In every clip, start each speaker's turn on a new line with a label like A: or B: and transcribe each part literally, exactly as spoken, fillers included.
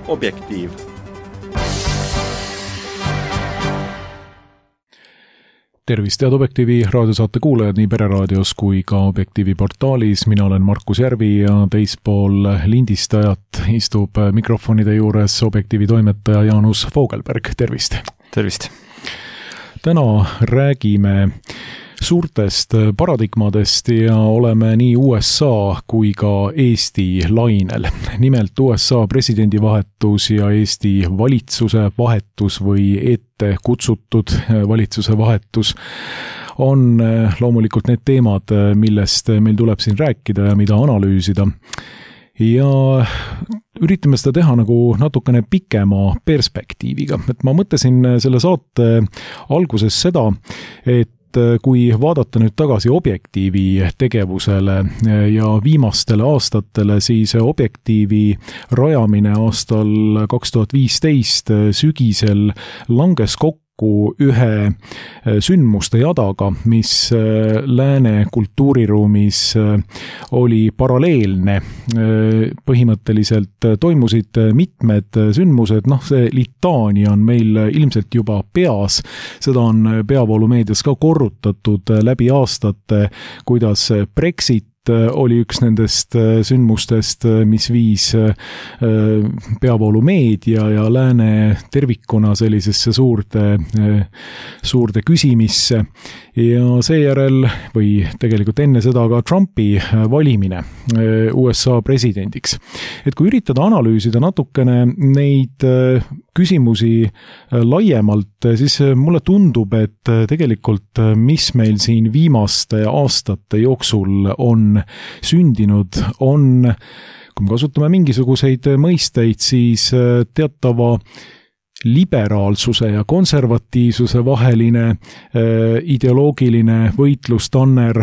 A: Objektiiv.
B: Tervist, head Objektiivi raadiosaate kuulajad nii Pereraadios kui ka Objektiivi portaalis. Mina olen Markus Järvi ja teispool lindistajat istub mikrofonide juures Objektiivi toimetaja Jaanus Vogelberg. Tervist!
C: Tervist!
B: Täna räägime suurtest paradigmadest ja oleme nii U S A kui ka Eesti lainel. Nimelt U S A presidendivahetus ja Eesti valitsuse vahetus või ette kutsutud valitsuse vahetus on loomulikult need teemad, millest meil tuleb siin rääkida ja mida analüüsida. Ja üritame seda teha nagu natukene pikema perspektiiviga. Et ma mõtlesin selle saate alguses seda, et kui vaadata nüüd tagasi Objektiivi tegevusele ja viimastele aastatele, siis Objektiivi rajamine aastal kaks tuhat viisteist sügisel langes kokku ühe sündmuste jadaga, mis lääne kultuuriruumis oli paralleelne. Põhimõtteliselt toimusid mitmed sündmused, noh see litaania on meil ilmselt juba peas, seda on peavoolumeedias ka korrutatud läbi aastate, kuidas Brexit oli üks nendest sündmustest, mis viis peavoolumeedia ja lääne tervikuna sellisesse suurde, suurde küsimisse. Ja seejärel, või tegelikult enne seda ka Trumpi valimine U S A presidendiks. Et kui üritada analüüsida natukene neid küsimusi laiemalt, siis mulle tundub, et tegelikult mis meil siin viimaste aastate jooksul on sündinud, on, kui me kasutame mingisuguseid mõisteid, siis teatava liberaalsuse ja konservatiivsuse vaheline äh, ideoloogiline võitlustanner,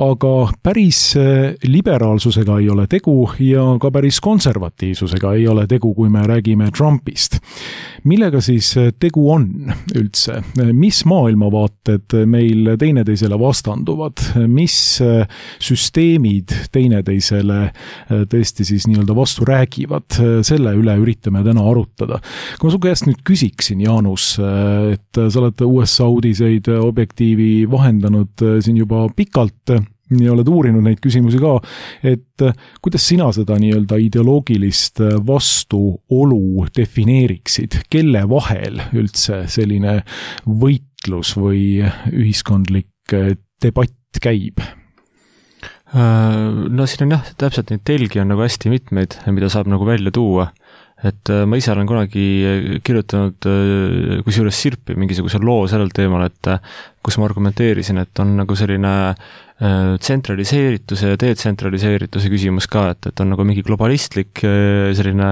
B: aga päris äh, liberaalsusega ei ole tegu ja ka päris konservatiivsusega ei ole tegu, kui me räägime Trumpist. Millega siis tegu on üldse? Mis maailmavaated meil teineteisele vastanduvad? Mis süsteemid teineteisele tõesti siis nii-öelda vastu räägivad? Selle üle üritame täna arutada. Kui ma su käest nüüd küsiksin, Jaanus, et sa oled U S A uudiseid Objektiivi vahendanud siin juba pikalt ja oled uurinud neid küsimusi ka, et kuidas sina seda nii-öelda ideoloogilist vastuolu defineeriksid? Kelle vahel üldse selline võitlus või ühiskondlik debatt käib?
C: No siin on jah, täpselt neid telgi on nagu hästi mitmeid, mida saab nagu välja tuua. Et ma ise olen kunagi kirjutanud kusjuures sirpi mingisuguse loo sellel teemal, et kus ma argumenteerisin, et on nagu selline tsentraliseerituse ja detsentraliseerituse küsimus ka, et, et on nagu mingi globalistlik selline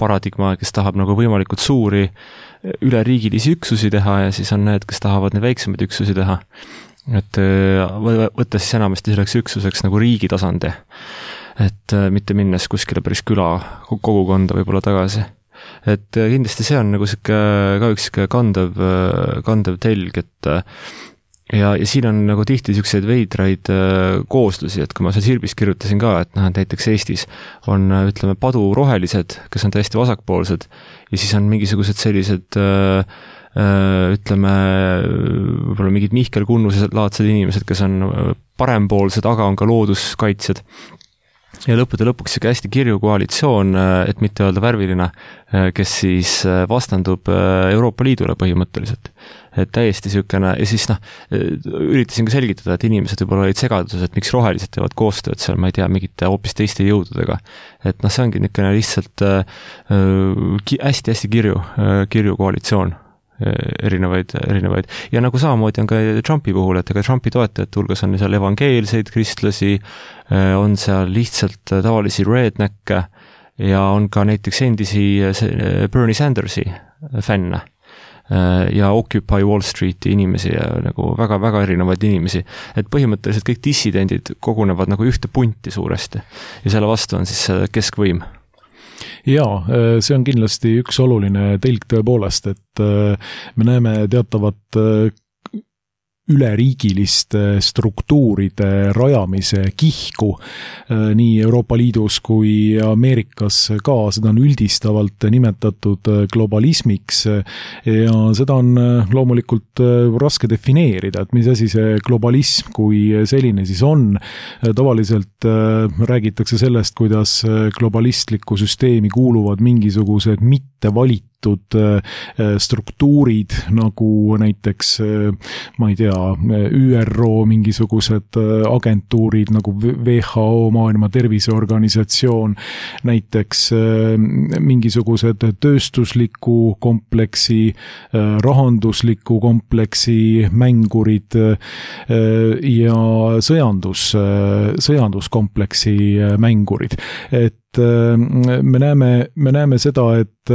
C: paradigma, kes tahab nagu võimalikult suuri üleriigilisi üksusi teha ja siis on need, kes tahavad neid väiksemaid üksusi teha. Et võtta siis enamasti selleks üksuseks nagu riigi tasandi. Et mitte minnes kuskile päris küla kogukonda võib-olla tagasi. Et kindlasti see on nagu siuke, ka üks siuke kandev, kandev telg, et ja, ja siin on nagu tihti siukseid veidraid kooslusi, et kui ma seal sirbis kirjutasin ka, et noh, näiteks Eestis on, ütleme, padurohelised, kes on täiesti vasakpoolsed ja siis on mingisugused sellised ütleme, võib-olla mingid Mihkel Kunnused laadsed inimesed, kes on parempoolsed, aga on ka looduskaitsjad. Ja lõppude lõpuks siuke hästi kirju koalitsioon, et mitte öelda värviline, kes siis vastandub Euroopa Liidule põhimõtteliselt. Et täiesti siukene, ja siis noh, üritasin ka selgitada, et inimesed võib-olla olid segaduses, et miks rohelised teevad koostööd seal, ma ei tea, mingite hoopis teiste jõududega. Et noh, see ongi niisugune lihtsalt hästi-hästi kirju, kirju koalitsioon. erinevaid, erinevaid. Ja nagu samamoodi on ka Trumpi puhul, et ega Trumpi toetajate hulgas on seal evangeelseid kristlasi, on seal lihtsalt tavalisi rednecke ja on ka näiteks endisi Bernie Sandersi fänne ja Occupy Wall Streeti inimesi ja nagu väga-väga erinevaid inimesi. Et põhimõtteliselt kõik dissidendid kogunevad nagu ühte punti suuresti ja selle vastu on siis keskvõim.
B: Jaa, see on kindlasti üks oluline telg tõepoolest, et me näeme teatavat üleriigiliste struktuuride rajamise kihku nii Euroopa Liidus kui Ameerikas ka, seda on üldistavalt nimetatud globalismiks ja seda on loomulikult raske defineerida, et mis asi see globalism kui selline siis on. Tavaliselt räägitakse sellest, kuidas globalistlikku süsteemi kuuluvad mingisugused mittevalitud struktuurid, nagu näiteks, ma ei tea, Ü R O mingisugused agentuurid nagu W H O, Maailma Terviseorganisatsioon, näiteks mingisugused tööstusliku kompleksi, rahandusliku kompleksi mängurid ja sõjandus, sõjanduskompleksi mängurid. Et me näeme, me näeme seda, et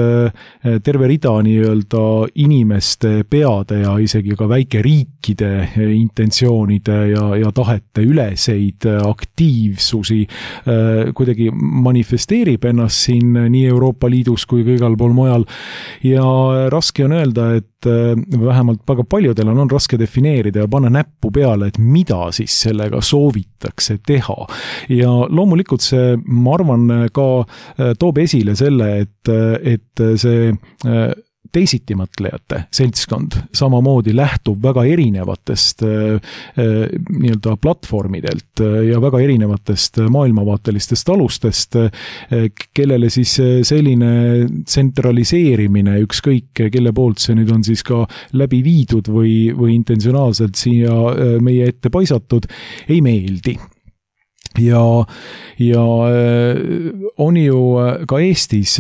B: terve rida nii-öelda inimeste peade ja isegi ka väikeriikide intentsioonide ja, ja tahete üleseid aktiivsusi kuidagi manifesteerib ennast siin nii Euroopa Liidus kui ka igal pool mujal. Ja raske on öelda, et vähemalt väga paljudel on, on raske defineerida ja panna näppu peale, et mida siis sellega soovitakse teha. Ja loomulikult see, ma arvan, ka toob esile selle, et, et see teisitimõtlejate seltskond samamoodi lähtub väga erinevatest nii-öelda platvormidelt ja väga erinevatest maailmavaatelistest alustest, kellele siis selline tsentraliseerimine, ükskõik kelle poolt see nüüd on siis ka läbi viidud või, või intentsionaalselt siia meie ette paisatud, ei meeldi. Ja, ja on ju ka Eestis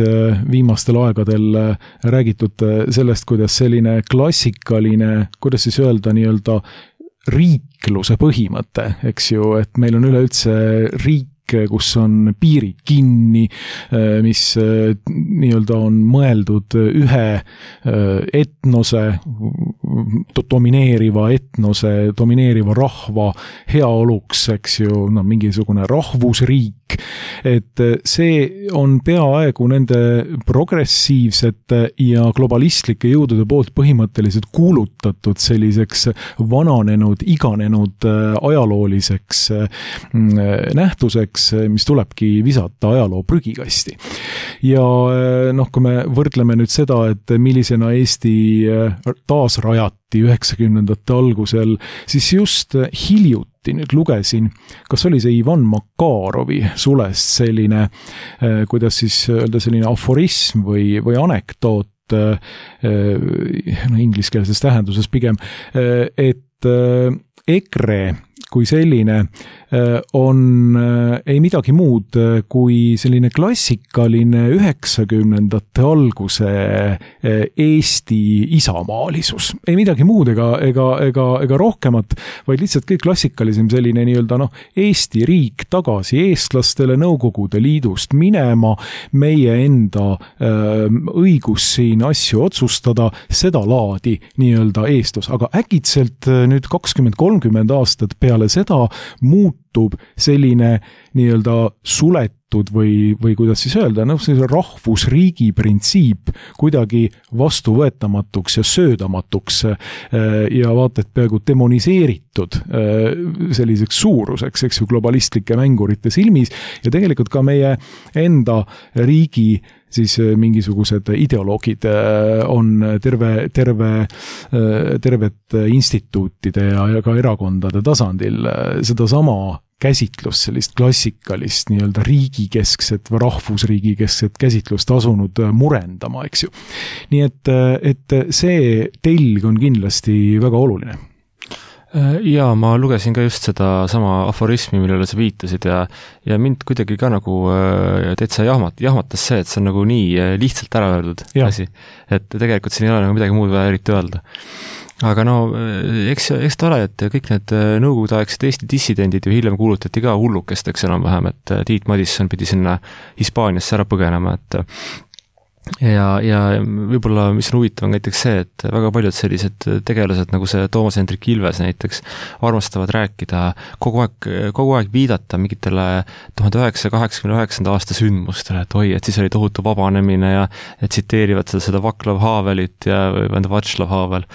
B: viimastel aegadel räägitud sellest, kuidas selline klassikaline, kuidas siis öelda, nii-öelda riikluse põhimõte, eks ju, et meil on üleüldse riik, kus on piirid kinni, mis nii-öelda on mõeldud ühe etnose, domineeriva etnose, domineeriva rahva heaoluks, eks ju, no, mingisugune rahvusriik, et see on peaaegu nende progressiivsete ja globalistlike jõudude poolt põhimõtteliselt kuulutatud selliseks vananenud, iganenud ajalooliseks nähtuseks, mis tulebki visata ajaloo prügikasti. Ja noh, kui me võrdleme nüüd seda, et millisena Eesti taasrajati üheksakümnendate algusel, siis just hiljuti nüüd lugesin, kas oli see Ivan Makarovi sulest selline, kuidas siis öelda, selline aforism või, või anekdoot, no, ingliskeelses tähenduses pigem, et EKRE kui selline on ei midagi muud kui selline klassikaline üheksakümnendate alguse Eesti isamaalisus. Ei midagi muud ega, ega, ega, ega rohkemat, vaid lihtsalt kõik klassikalisem selline nii-öelda noh, Eesti riik tagasi eestlastele Nõukogude Liidust minema, meie enda õigus siin asju otsustada, seda laadi nii-öelda eestlus. Aga äkitselt nüüd kakskümmend kolmkümmend aastat peale seda muutub selline nii-öelda suletud või, või kuidas siis öelda, noh, see rahvusriigi printsiip kuidagi vastuvõetamatuks ja söödamatuks ja vaata, et peaaegu demoniseeritud selliseks suuruseks, eks ju, globalistlike mängurite silmis ja tegelikult ka meie enda riigi siis mingisugused ideoloogid on terve, terve, tervet instituutide ja ka erakondade tasandil seda sama käsitlust, sellist klassikalist nii-öelda riigikeskset või rahvusriigikeskset käsitlust asunud murendama, eks ju. Nii et, et see telg on kindlasti väga oluline.
C: Jaa, ma lugesin ka just seda sama aforismi, millele sa viitasid ja, ja mind kuidagi ka nagu täitsa jahmat, jahmatas see, et see on nagu nii lihtsalt ära öeldud asi, et tegelikult siin ei ole nagu midagi muud vaja eriti öelda. Aga no, eks, eks ta ole, et kõik need nõukogudeaegsed Eesti dissidendid ju hiljem kuulutati ka hullukesteks enam-vähem, et Tiit Madisson pidi sinna Hispaaniasse ära põgenema, et ja, ja võib-olla, mis on huvitav, on näiteks see, et väga paljud sellised tegelased, nagu see Toomas Hendrik Ilves näiteks, armastavad rääkida, kogu aeg, kogu aeg viidata mingitele tuhande üheksasaja kaheksakümne üheksanda aasta sündmustele, et oi, et siis oli tohutu vabanemine ja et tsiteerivad seda, seda Vaclav Havelit ja Václav Havel.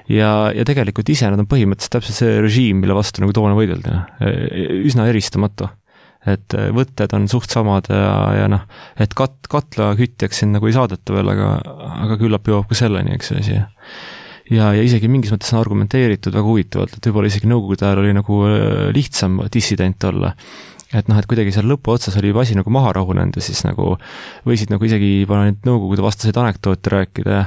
C: ja, ja tegelikult ise nad on põhimõtteliselt täpselt see režiim, mille vastu nagu toona võidelda. Üsna eristamatu. Et võtted on suht samad ja, ja noh, et kat, katla kütjaks siin nagu ei saadeta veel, aga, aga küllap jõuab ka selleni, eks see asi. Ja, ja isegi mingis mõttes on argumenteeritud väga huvitavalt, et võib-olla isegi nõukogude ajal oli nagu lihtsam dissident olla. Et noh, et kuidagi seal lõpu otsas oli juba asi nagu maha rahunenud ja siis nagu võisid nagu isegi juba neid nõukogude vastaseid anekdoote rääkida,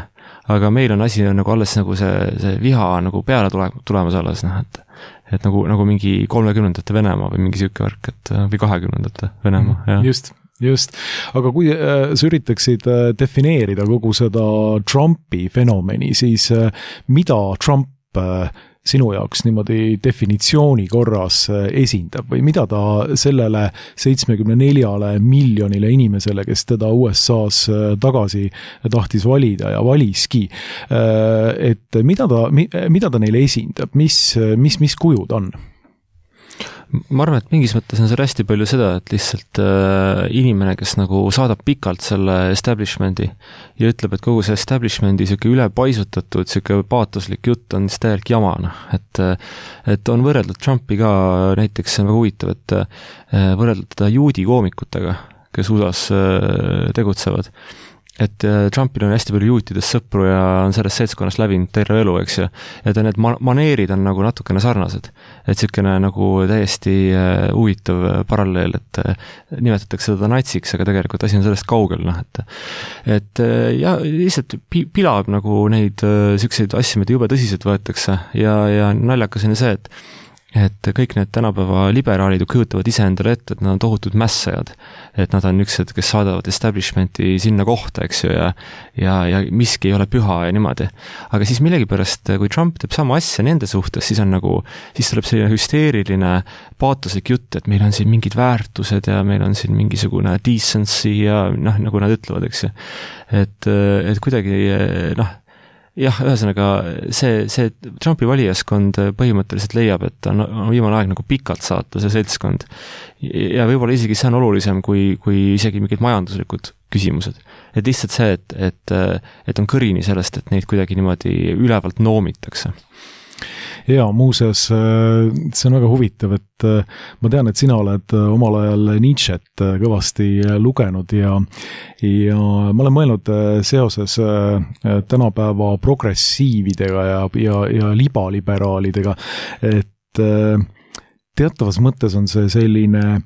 C: aga meil on asi nagu alles nagu see, see viha nagu peale tule, tulemas alles, noh, et et nagu, nagu mingi kolmekümnendate Venemaa või mingi siuke värk, et või kahekümnendate Venemaa, jah.
B: Just, just. Aga kui äh, sa üritaksid äh, defineerida kogu seda Trumpi fenomeni, siis äh, mida Trump äh, sinu jaoks niimoodi definitsiooni korras esindab või mida ta sellele seitsmekümne neljale miljonile inimesele, kes teda U S A-s tagasi tahtis valida ja valiski, et mida ta, mida ta neile esindab, mis, mis, mis kujud on?
C: Ma arvan, et mingis mõttes on see hästi palju seda, et lihtsalt äh, inimene, kes nagu saadab pikalt selle establishmendi ja ütleb, et kogu see establishmendi siuke ülepaisutatud, siuke paatoslik jutt on siis täielik jama, noh, et et on võrreldud Trumpi ka, näiteks see on väga huvitav, et äh, võrreldud teda juudi koomikutega, kes U S A-s äh, tegutsevad. Et Trumpil on hästi palju juutidest sõpru ja on sellest seltskonnast läbinud terve elu, eks ju. Ja ta need maneerid on nagu natukene sarnased. Et siukene nagu täiesti huvitav paralleel, et nimetatakse seda natsiks, aga tegelikult asi on sellest kaugel, noh, et et ja lihtsalt pilab nagu neid siukseid asju, mida jube tõsiselt võetakse ja, ja naljakas on see, et et kõik need tänapäeva liberaalid kujutavad ise endale ette, et nad on tohutud mässajad. Et nad on üksed, kes saadavad establishmenti sinna kohta, eks ju, ja, ja, ja miski ei ole püha ja niimoodi. Aga siis millegipärast, kui Trump teeb sama asja nende suhtes, siis on nagu, siis tuleb selline hüsteeriline paatoslik jutt, et meil on siin mingid väärtused ja meil on siin mingisugune decency ja noh, nagu nad ütlevad, eks ju. Et, et kuidagi, noh, jah, ühesõnaga see, see Trumpi valijaskond põhimõtteliselt leiab, et on, on viimane aeg nagu pikalt saata see seltskond. Ja võib-olla isegi see on olulisem kui, kui isegi mingid majanduslikud küsimused. Et lihtsalt see, et, et, et on kõrini sellest, et neid kuidagi niimoodi ülevalt noomitakse.
B: Ja muuseas, see on väga huvitav, et ma tean, et sina oled omal ajal Nietzschet kõvasti lugenud ja, ja ma olen mõelnud seoses tänapäeva progressiividega ja, ja, ja libaliberaalidega, et teatavas mõttes on see selline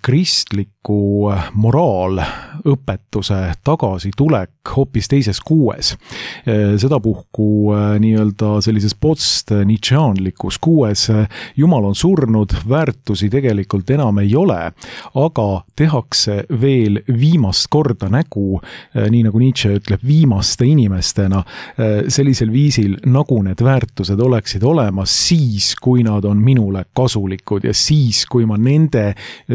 B: kristliku moraalõpetuse tagasitulek hoopis teises kuues. Sedapuhku nii-öelda sellises post-Nietzscheanlikus kuues Jumal on surnud, väärtusi tegelikult enam ei ole, aga tehakse veel viimast korda nägu, nii nagu Nietzsche ütleb, viimaste inimestena, sellisel viisil, nagu need väärtused oleksid olemas siis, kui nad on minule kasulikud ja siis, kui ma nende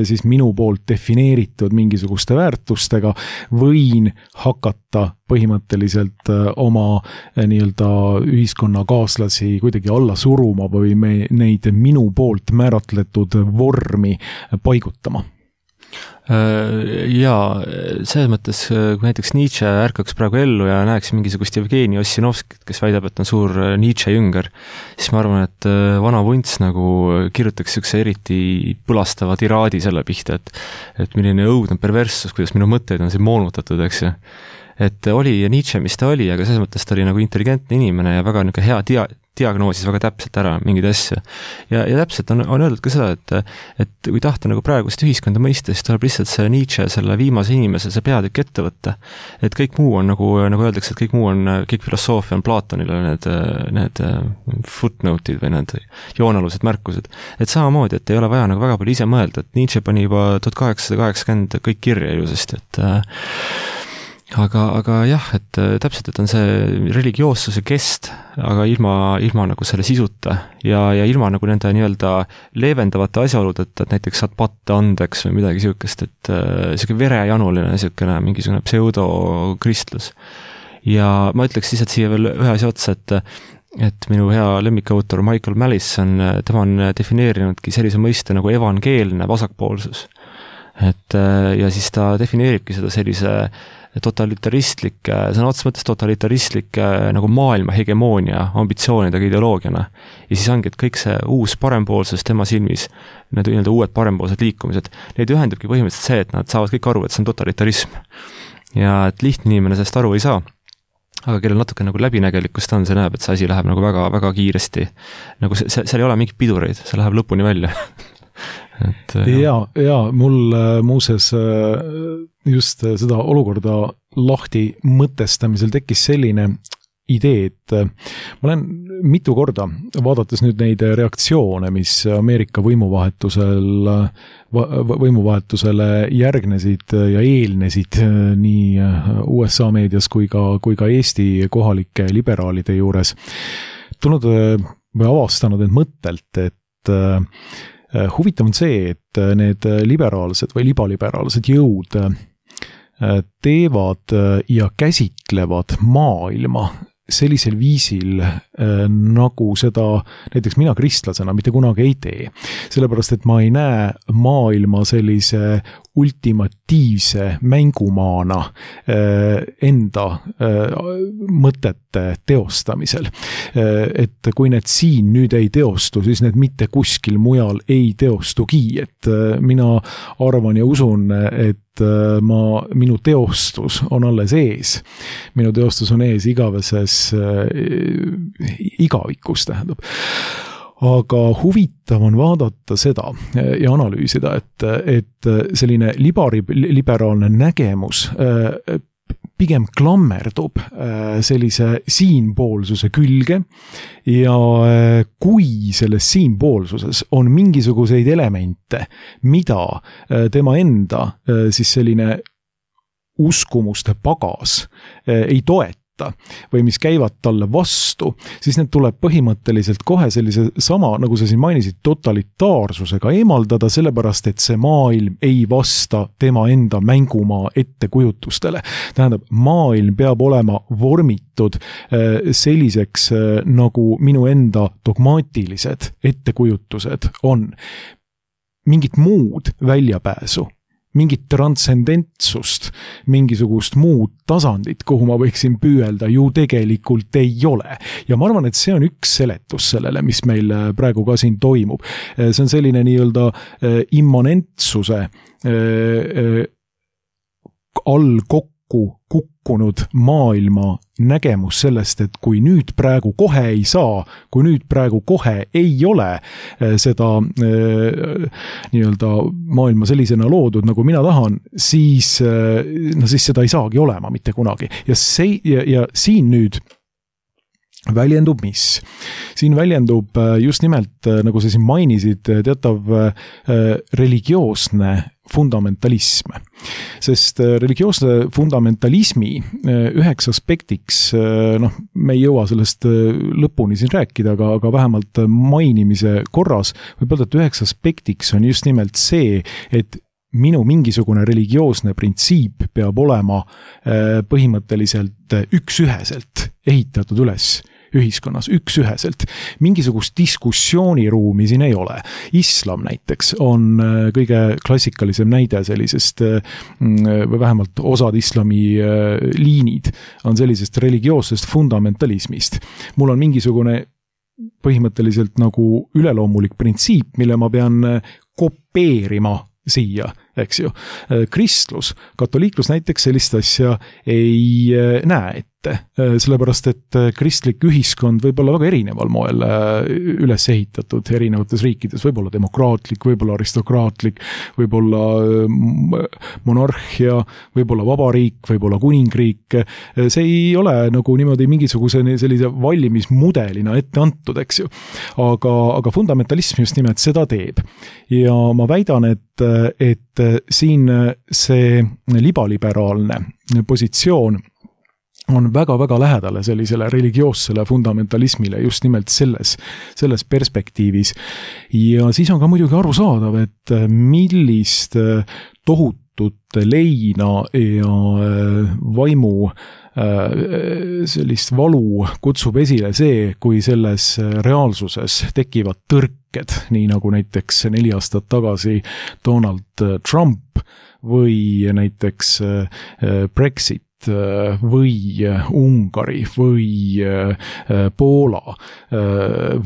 B: siis minu poolt defineeritud mingisuguste väärtustega võin hakata põhimõtteliselt oma nii-öelda ühiskonnakaaslasi kuidagi alla suruma või me neid minu poolt määratletud vormi paigutama.
C: Jaa, selles mõttes, kui näiteks Nietzsche ärkaks praegu ellu ja näeks mingisugust Jevgeni Ossinovskit, kes väidab, et on suur Nietzsche jünger, siis ma arvan, et vana vunts nagu kirjutaks sükse eriti põlastava tiraadi selle pihta, et, et milline õudne perverssus, kuidas minu mõtteid on siin moonutatud, eks ju. Et oli Nietzsche, mis ta oli, aga selles mõttes ta oli nagu intelligentne inimene ja väga niisugune hea dia- diagnoosis väga täpselt ära mingeid asju. Ja, ja täpselt on, on öeldud ka seda, et, et kui tahta nagu praegust ühiskonda mõista, siis tuleb lihtsalt see Nietzsche, selle viimase inimese, see peatükk ette võtta. Et kõik muu on nagu, nagu öeldakse, et kõik muu on, kõik filosoofia on Platonile need, need footnote'id või need joonalused märkused. Et samamoodi, et ei ole vaja nagu väga palju ise mõelda, et Nietzsche pani juba tuhat kaheksasada kaheksakümmend kõik kirja ilusasti, et aga, aga jah, et täpselt, et on see religioossuse kest, aga ilma, ilma nagu selle sisuta ja, ja ilma nagu nende nii-öelda leevendavate asjaoludeta, et näiteks saad patte andeks või midagi siukest, et siuke verejanuline siukene mingisugune pseudo-kristlus. Ja ma ütleks lihtsalt siia veel ühe asja otsa, et et minu hea lemmikautor Michael Mallison, tema on defineerinudki sellise mõiste nagu evangeelne vasakpoolsus. Et ja siis ta defineeribki seda sellise totalitaristlik, sõna otseses mõttes totalitaristlik nagu maailma hegemoonia ambitsioonidega ideoloogiana. Ja siis ongi, et kõik see uus parempoolsus tema silmis, need nii-öelda uued parempoolsed liikumised, neid ühendabki põhimõtteliselt see, et nad saavad kõik aru, et see on totalitarism. Ja et lihtne inimene sellest aru ei saa, aga kellel natuke nagu läbinägelikkust on, see näeb, et see asi läheb nagu väga, väga kiiresti. Nagu see, see, seal ei ole mingit pidureid, see läheb lõpuni välja. et,
B: ja, ja mul muuses just seda olukorda lahti mõtestamisel tekkis selline idee, et ma olen mitu korda, vaadates nüüd neid reaktsioone, mis Ameerika võimuvahetusel, võimuvahetusele järgnesid ja eelnesid nii U S A meedias kui ka, kui ka Eesti kohalike liberaalide juures, tulnud või avastanud end mõttelt, et huvitav on see, et need liberaalsed või libaliberaalsed jõud teevad ja käsitlevad maailma sellisel viisil, nagu seda näiteks mina kristlasena mitte kunagi ei tee. Sellepärast, et ma ei näe maailma sellise ultimatiivse mängumaana enda mõtete teostamisel. Et kui need siin nüüd ei teostu, siis need mitte kuskil mujal ei teostugi. Et mina arvan ja usun, et ma, minu teostus on alles ees. Minu teostus on ees igaveses igavikus, tähendab. Aga huvitav on vaadata seda ja analüüsida, et, et selline libari, liberaalne nägemus pigem klammerdub sellise siinpoolsuse külge ja kui selles siinpoolsuses on mingisuguseid elemente, mida tema enda siis selline uskumuste pagas ei toeta, või mis käivad talle vastu, siis need tuleb põhimõtteliselt kohe sellise sama, nagu sa siin mainisid, totalitaarsusega eemaldada, sellepärast, et see maailm ei vasta tema enda mängumaa ettekujutustele. Tähendab, maailm peab olema vormitud selliseks, nagu minu enda dogmaatilised ettekujutused on. Mingit muud väljapääsu, mingit transcendentsust, mingisugust muud tasandit, kuhu ma võiksin püüelda, ju tegelikult ei ole. Ja ma arvan, et see on üks seletus sellele, mis meil praegu ka siin toimub. See on selline nii-öelda immanentsuse all kokku kukkunud maailma nägemus sellest, et kui nüüd praegu kohe ei saa, kui nüüd praegu kohe ei ole seda nii-öelda maailma sellisena loodud, nagu mina tahan, siis, no siis seda ei saagi olema mitte kunagi. Ja, see, ja, ja siin nüüd väljendub mis? Siin väljendub just nimelt, nagu sa siin mainisid, teatav religioosne fundamentalism. Sest religioosne fundamentalismi üheks aspektiks, noh, me ei jõua sellest lõpuni siin rääkida, aga, aga vähemalt mainimise korras võib öelda, et üheks aspektiks on just nimelt see, et minu mingisugune religioosne printsiip peab olema põhimõtteliselt üks-üheselt ehitatud üles ühiskonnas, üks-üheselt. Mingisugust diskussiooniruumi siin ei ole. Islam näiteks on kõige klassikalisem näide sellisest, või vähemalt osad islami liinid on sellisest religioossest fundamentalismist. Mul on mingisugune põhimõtteliselt nagu üleloomulik printsiip, mille ma pean kopeerima siia, eks ju. Kristlus, katoliiklus näiteks sellist asja ei näe ette, sellepärast et kristlik ühiskond võib olla väga erineval moel üles ehitatud erinevates riikides, võib olla demokraatlik, võib olla aristokraatlik, võib olla monarhia, võib olla vabariik, võib olla kuningriik. See ei ole nagu niimoodi mingisuguse sellise vallimismudelina ette antud, eks ju. Aga, aga fundamentalism just nimelt seda teeb. Ja ma väidan, et, et siin see libaliberaalne positsioon on väga-väga lähedale sellisele religioossele fundamentalismile just nimelt selles, selles perspektiivis. Ja siis on ka muidugi arusaadav, et millist tohutut leina ja vaimu sellist valu kutsub esile see, kui selles reaalsuses tekivad tõrked, nii nagu näiteks neli aastat tagasi Donald Trump või näiteks Brexit või Ungari või Poola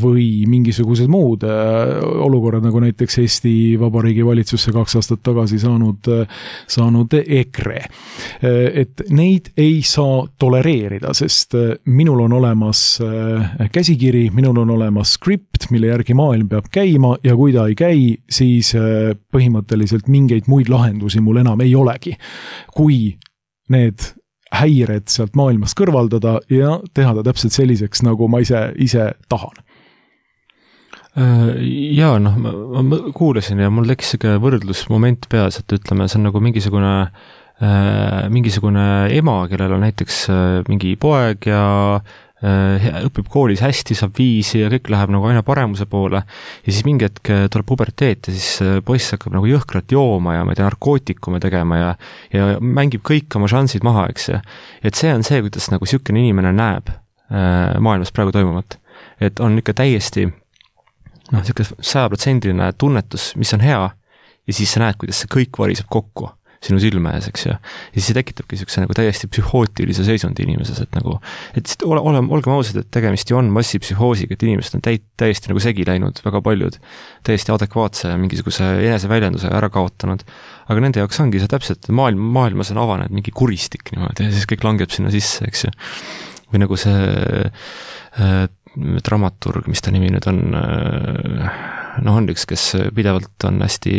B: või mingisugused muud olukorrad, nagu näiteks Eesti Vabariigi valitsusse kaks aastat tagasi saanud, saanud E K R E. Et neid ei saa tolereerida, sest minul on olemas käsikiri, minul on olemas skript, mille järgi maailm peab käima ja kui ta ei käi, siis põhimõtteliselt mingeid muid lahendusi mul enam ei olegi. Kui need häired sealt maailmast kõrvaldada ja teha ta täpselt selliseks, nagu ma ise, ise tahan.
C: Jaa, noh, ma, ma kuulasin ja mul tekkis siuke võrdlusmoment peas, et ütleme, see on nagu mingisugune, äh, mingisugune ema, kellel on näiteks äh, mingi poeg ja õpib koolis hästi, saab viisi ja kõik läheb nagu aina paremuse poole ja siis mingi hetk tuleb puberteet ja siis poiss hakkab nagu jõhkrat jooma ja ma ei tea, narkootikume tegema ja, ja mängib kõik oma šansid maha, eks ja et see on see, kuidas nagu siukene inimene näeb äh, maailmas praegu toimuvat. Et on ikka täiesti noh, siuke sajaprotsendiline tunnetus, mis on hea ja siis sa näed, kuidas see kõik variseb kokku sinu silme ees, eks ja. Ja siis see tekitabki siukse nagu täiesti psühhootilise seisundi inimeses, et nagu, et ole, ole, olgem ausad, et tegemist ju on massipsühhoosiga, et inimesed on täit, täiesti nagu segi läinud, väga paljud täiesti adekvaatse mingisuguse eneseväljenduse ära kaotanud. Aga nende jaoks ongi see täpselt, maailm, maailmas on avanenud mingi kuristik niimoodi ja siis kõik langeb sinna sisse, eks ju. Või nagu see äh, dramaturg, mis ta nimi nüüd on, äh, noh on üks, kes pidevalt on hästi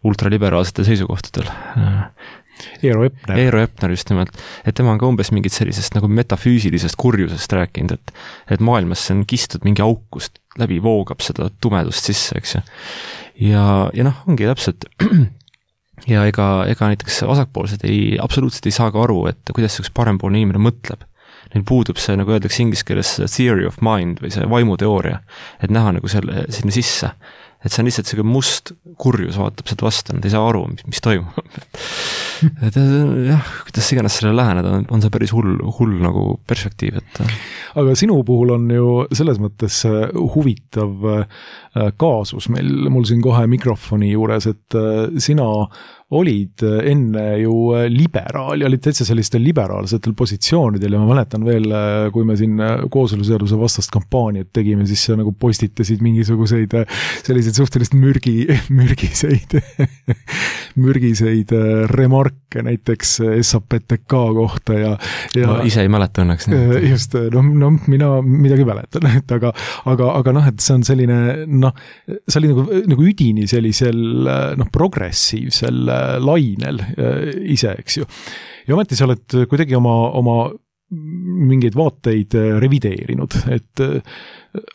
C: ultraliberaalsetel seisukohtadel.
B: Eero Epner.
C: Eero Epner just nimelt, et tema on ka umbes mingit sellisest nagu metafüüsilisest kurjusest rääkinud, et, et maailmas on kistud mingi aukust, läbi voogab seda tumedust sisse, eks ju. Ja, ja noh, ongi täpselt ja ega, ega näiteks vasakpoolsed ei, absoluutselt ei saa ka aru, et kuidas üks parempoolne inimene mõtleb. Neil puudub see, nagu öeldakse inglise keeles, theory of mind või see vaimuteooria, et näha nagu selle, sinna sisse. Et see on lihtsalt selline must kurjus vaatab sealt vastu, nad ei saa aru, mis, mis toimub. et jah, kuidas iganes sellele läheneda, on, on see päris hull, hull nagu perspektiiv. Et...
B: Aga sinu puhul on ju selles mõttes huvitav kaasus meil, mul siin kohe mikrofoni juures, et sina olid enne ju liberaal ja olid täitsa sellistel liberaalsetel positsioonidel ja ma mäletan veel, kui me siin kooseluseaduse vastast kampaaniat tegime, siis sa nagu postitasid mingisuguseid selliseid suhteliselt mürgi, mürgiseid, mürgiseid remarke näiteks S A P T K kohta ja, ja
C: ma ise ei mäleta õnneks.
B: Just, no, no mina midagi mäletan, et aga, aga, aga noh, et see on selline, noh, see oli nagu, nagu üdini sellisel, noh, progressiivsel lainel ise, eks ju. Ja ometi sa oled kuidagi oma, oma mingeid vaateid revideerinud, et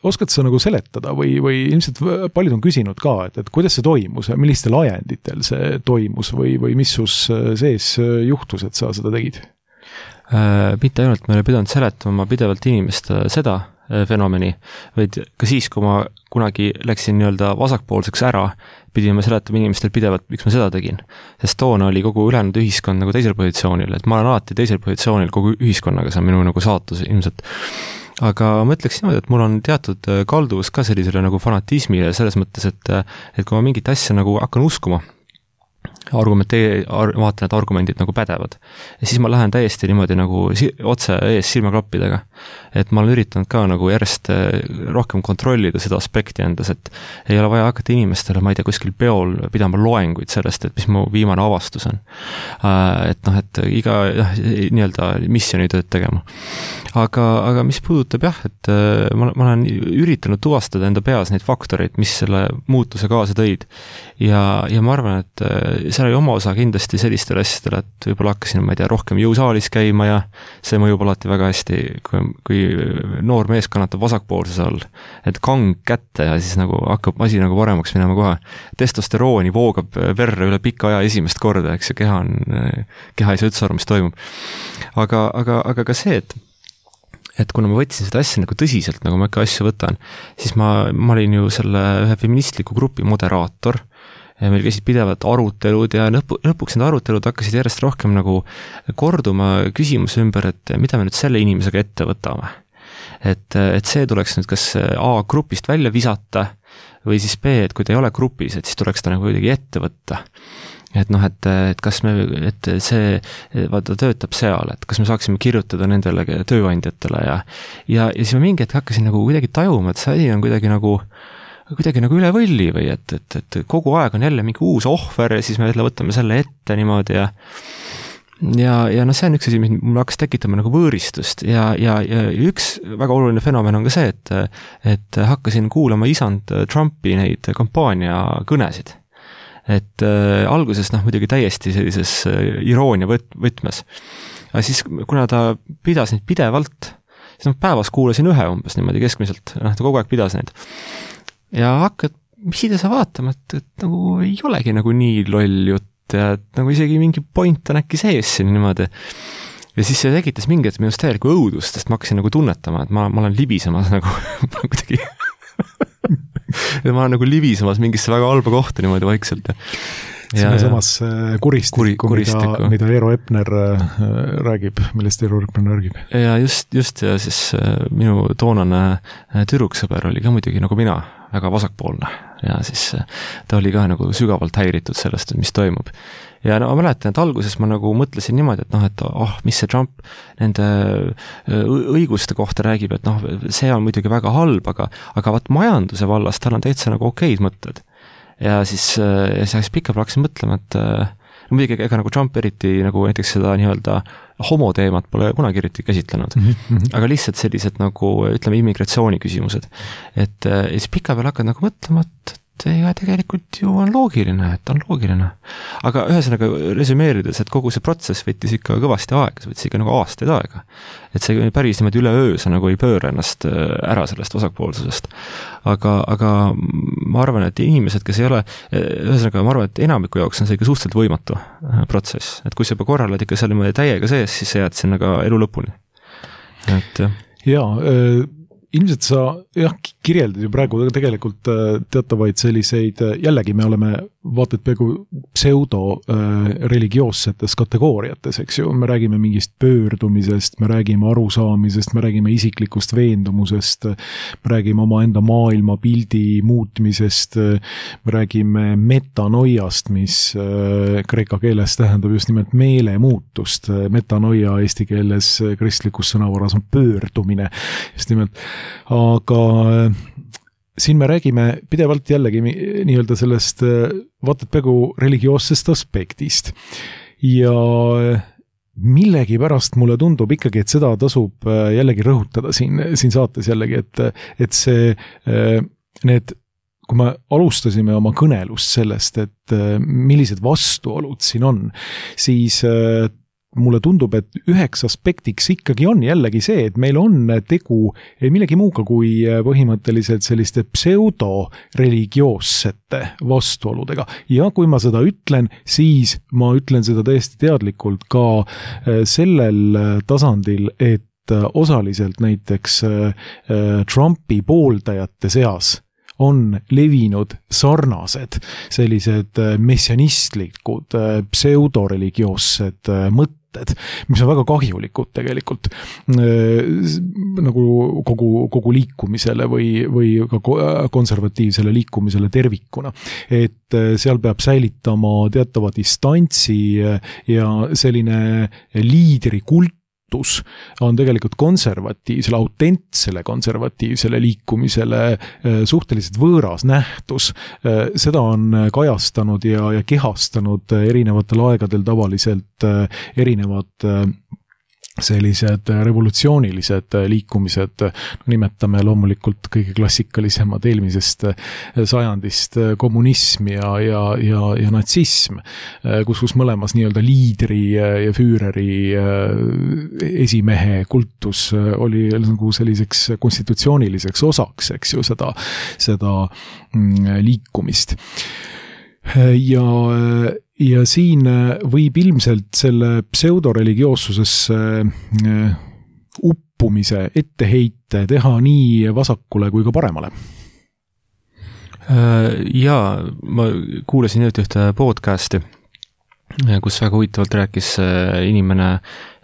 B: oskad sa nagu seletada või, või ilmselt paljud on küsinud ka, et, et kuidas see toimus ja millistel ajenditel see toimus või, või mis sus sees juhtus, et sa seda tegid?
C: Äh, mitte ainult me oleme pidanud seletama pidevalt inimestele seda fenomeni, vaid ka siis, kui ma kunagi läksin nii-öelda vasakpoolseks ära, pidime seletama inimestel pidevalt, miks ma seda tegin. Sest toona oli kogu ülejäänud ühiskond nagu teisel positsioonil, et ma olen alati teisel positsioonil kogu ühiskonnaga, see on minu nagu saatus ilmselt. Aga ma ütleks niimoodi, et mul on teatud kalduvus ka sellisele nagu fanatismile selles mõttes, et, et kui ma mingit asja nagu hakkan uskuma, argumentee-, ar-, vaatan, et argumendid nagu pädevad. Ja siis ma lähen täiesti niimoodi nagu si- otse ees silmaklappidega. Et ma olen üritanud ka nagu järjest rohkem kontrollida seda aspekti endas, et ei ole vaja hakata inimestele, ma ei tea, kuskil peol pidama loenguid sellest, et mis mu viimane avastus on. Et noh, et iga jah, nii-öelda missionitööd tegema. Aga, aga mis puudutab jah, et ma, ma olen üritanud tuvastada enda peas neid faktoreid, mis selle muutuse kaasa tõid. Ja, ja ma arvan, et seal oli oma osa kindlasti sellistel asjadel, et võib-olla hakkasin, ma ei tea, rohkem jõusaalis käima ja see mõjub alati väga hästi, kui, kui noor mees kannatab vasakpoolses all, et kang kätte ja siis nagu hakkab asi nagu paremaks minema kohe. Testosterooni voogab verre üle pika aja esimest korda, eks ja keha on, keha ei saa üldse aru, mis toimub. Aga, aga, aga ka see, et et kuna ma võtsin seda asja nagu tõsiselt, nagu ma ikka asju võtan, siis ma, ma olin ju selle ühe feministliku grupi moderaator ja meil käisid pidevalt arutelud ja lõpu, lõpuks need arutelud hakkasid järjest rohkem nagu korduma küsimuse ümber, et mida me nüüd selle inimesega ette võtame. Et, et see tuleks nüüd kas A grupist välja visata või siis B, et kui ta ei ole grupis, et siis tuleks ta nagu kuidagi ette võtta. Et noh, et, et kas me, et see, vaata töötab seal, et kas me saaksime kirjutada nendele tööandjatele ja, ja, ja siis ma mingi hetk hakkasin nagu kuidagi tajuma, et see asi on kuidagi nagu, kuidagi nagu üle võlli või et, et, et kogu aeg on jälle mingi uus ohver ja siis me jälle võtame selle ette niimoodi ja ja, ja noh, see on üks asi, mis mul hakkas tekitama nagu võõristust ja, ja, ja üks väga oluline fenomen on ka see, et, et hakkasin kuulama isand Trumpi neid kampaania kõnesid. Et äh, alguses noh, muidugi täiesti sellises äh, iroonia võt, võtmes. Aga siis, kuna ta pidas neid pidevalt, siis noh, päevas kuulasin ühe umbes niimoodi keskmiselt, noh, ta kogu aeg pidas neid. Ja hakkad, mis ida sa vaatama, et, et nagu ei olegi nagu nii loll jutt ja et nagu isegi mingi point on äkki sees siin niimoodi. Ja siis see tegitas mingi, et minust täielikku õudust, sest ma hakkasin nagu tunnetama, et ma, ma olen libisemas nagu kuidagi ja ma olen nagu libisemas mingisse väga halba kohta niimoodi vaikselt.
B: Sinna samas kuristikku, kuri, mida, mida Eero Epner räägib, millest Eero Epner räägib.
C: Ja just, just ja siis minu toonane tüdruksõber oli ka muidugi nagu mina, väga vasakpoolne ja siis ta oli ka nagu sügavalt häiritud sellest, mis toimub. Ja no ma mäletan, et alguses ma nagu mõtlesin niimoodi, et noh, et oh, mis see Trump nende õiguste kohta räägib, et noh, see on muidugi väga halb, aga, aga vaat majanduse vallas tal on täitsa nagu okeid mõtted. Ja siis, ja siis pikalt hakkasin mõtlema, et no muidugi ega nagu Trump eriti nagu näiteks seda nii-öelda homoteemat pole kunagi eriti käsitlenud, mm-hmm. aga lihtsalt sellised nagu, ütleme, immigratsiooni küsimused. Et ja siis pika peal hakkad nagu mõtlema, et ja tegelikult ju on loogiline, et on loogiline. Aga ühesõnaga resümeerides, et kogu see protsess võttis ikka kõvasti aega, see võttis ikka nagu aastaid aega. Et see päris niimoodi üle öö sa nagu ei pööra ennast ära sellest vasakpoolsusest. Aga, aga ma arvan, et inimesed, kes ei ole, ühesõnaga ma arvan, et enamiku jaoks on see ikka suhteliselt võimatu protsess. Et kui sa juba korralad ikka seal täiega sees, siis sa jääd sinna ka elu lõpuni. Et jah.
B: Jaa, äh... ilmselt sa jah, kirjeldad ju praegu tegelikult teatavaid selliseid, jällegi me oleme vaatad peaaegu pseudo-religioossetes kategooriates, eks ju, me räägime mingist pöördumisest, me räägime arusaamisest, me räägime isiklikust veendumusest, me räägime oma enda maailmapildi muutmisest, me räägime metanoiast, mis kreeka keeles tähendab just nimelt meelemuutust, metanoia eesti keeles kristlikus sõnavaras on pöördumine, just nimelt. Aga siin me räägime pidevalt jällegi nii-öelda sellest vaatad peaaegu religioossest aspektist ja millegi pärast mulle tundub ikkagi, et seda tasub jällegi rõhutada siin, siin saates jällegi, et, et see need, kui me alustasime oma kõnelust sellest, et millised vastuolud siin on, siis mulle tundub, et üheks aspektiks ikkagi on jällegi see, et meil on tegu millegi muuga kui põhimõtteliselt selliste pseudo-religioossete vastuoludega. Ja kui ma seda ütlen, siis ma ütlen seda täiesti teadlikult ka sellel tasandil, et osaliselt näiteks Trumpi pooldajate seas on levinud sarnased sellised messianistlikud pseudoreligioossed mõtted, mis on väga kahjulikud tegelikult nagu kogu, kogu liikumisele või, või ka konservatiivsele liikumisele tervikuna. Et seal peab säilitama teatava distantsi ja selline liidrikult on tegelikult konservatiivsele, autentsele konservatiivsele liikumisele suhteliselt võõras nähtus. Seda on kajastanud ja, ja kehastanud erinevatel aegadel tavaliselt erinevad sellised revolutsioonilised liikumised, nimetame loomulikult kõige klassikalisemad eelmisest sajandist kommunism ja, ja, ja, ja natsism, kus, kus mõlemas nii-öelda liidri ja füüreri esimehe kultus oli nagu selliseks konstitutsiooniliseks osaks, eks ju, seda, seda liikumist. Ja Ja siin võib ilmselt selle pseudoreligioossusesse uppumise etteheite teha nii vasakule kui ka paremale.
C: Jaa, ma kuulasin nüüd ühte podcasti, kus väga huvitavalt rääkis inimene,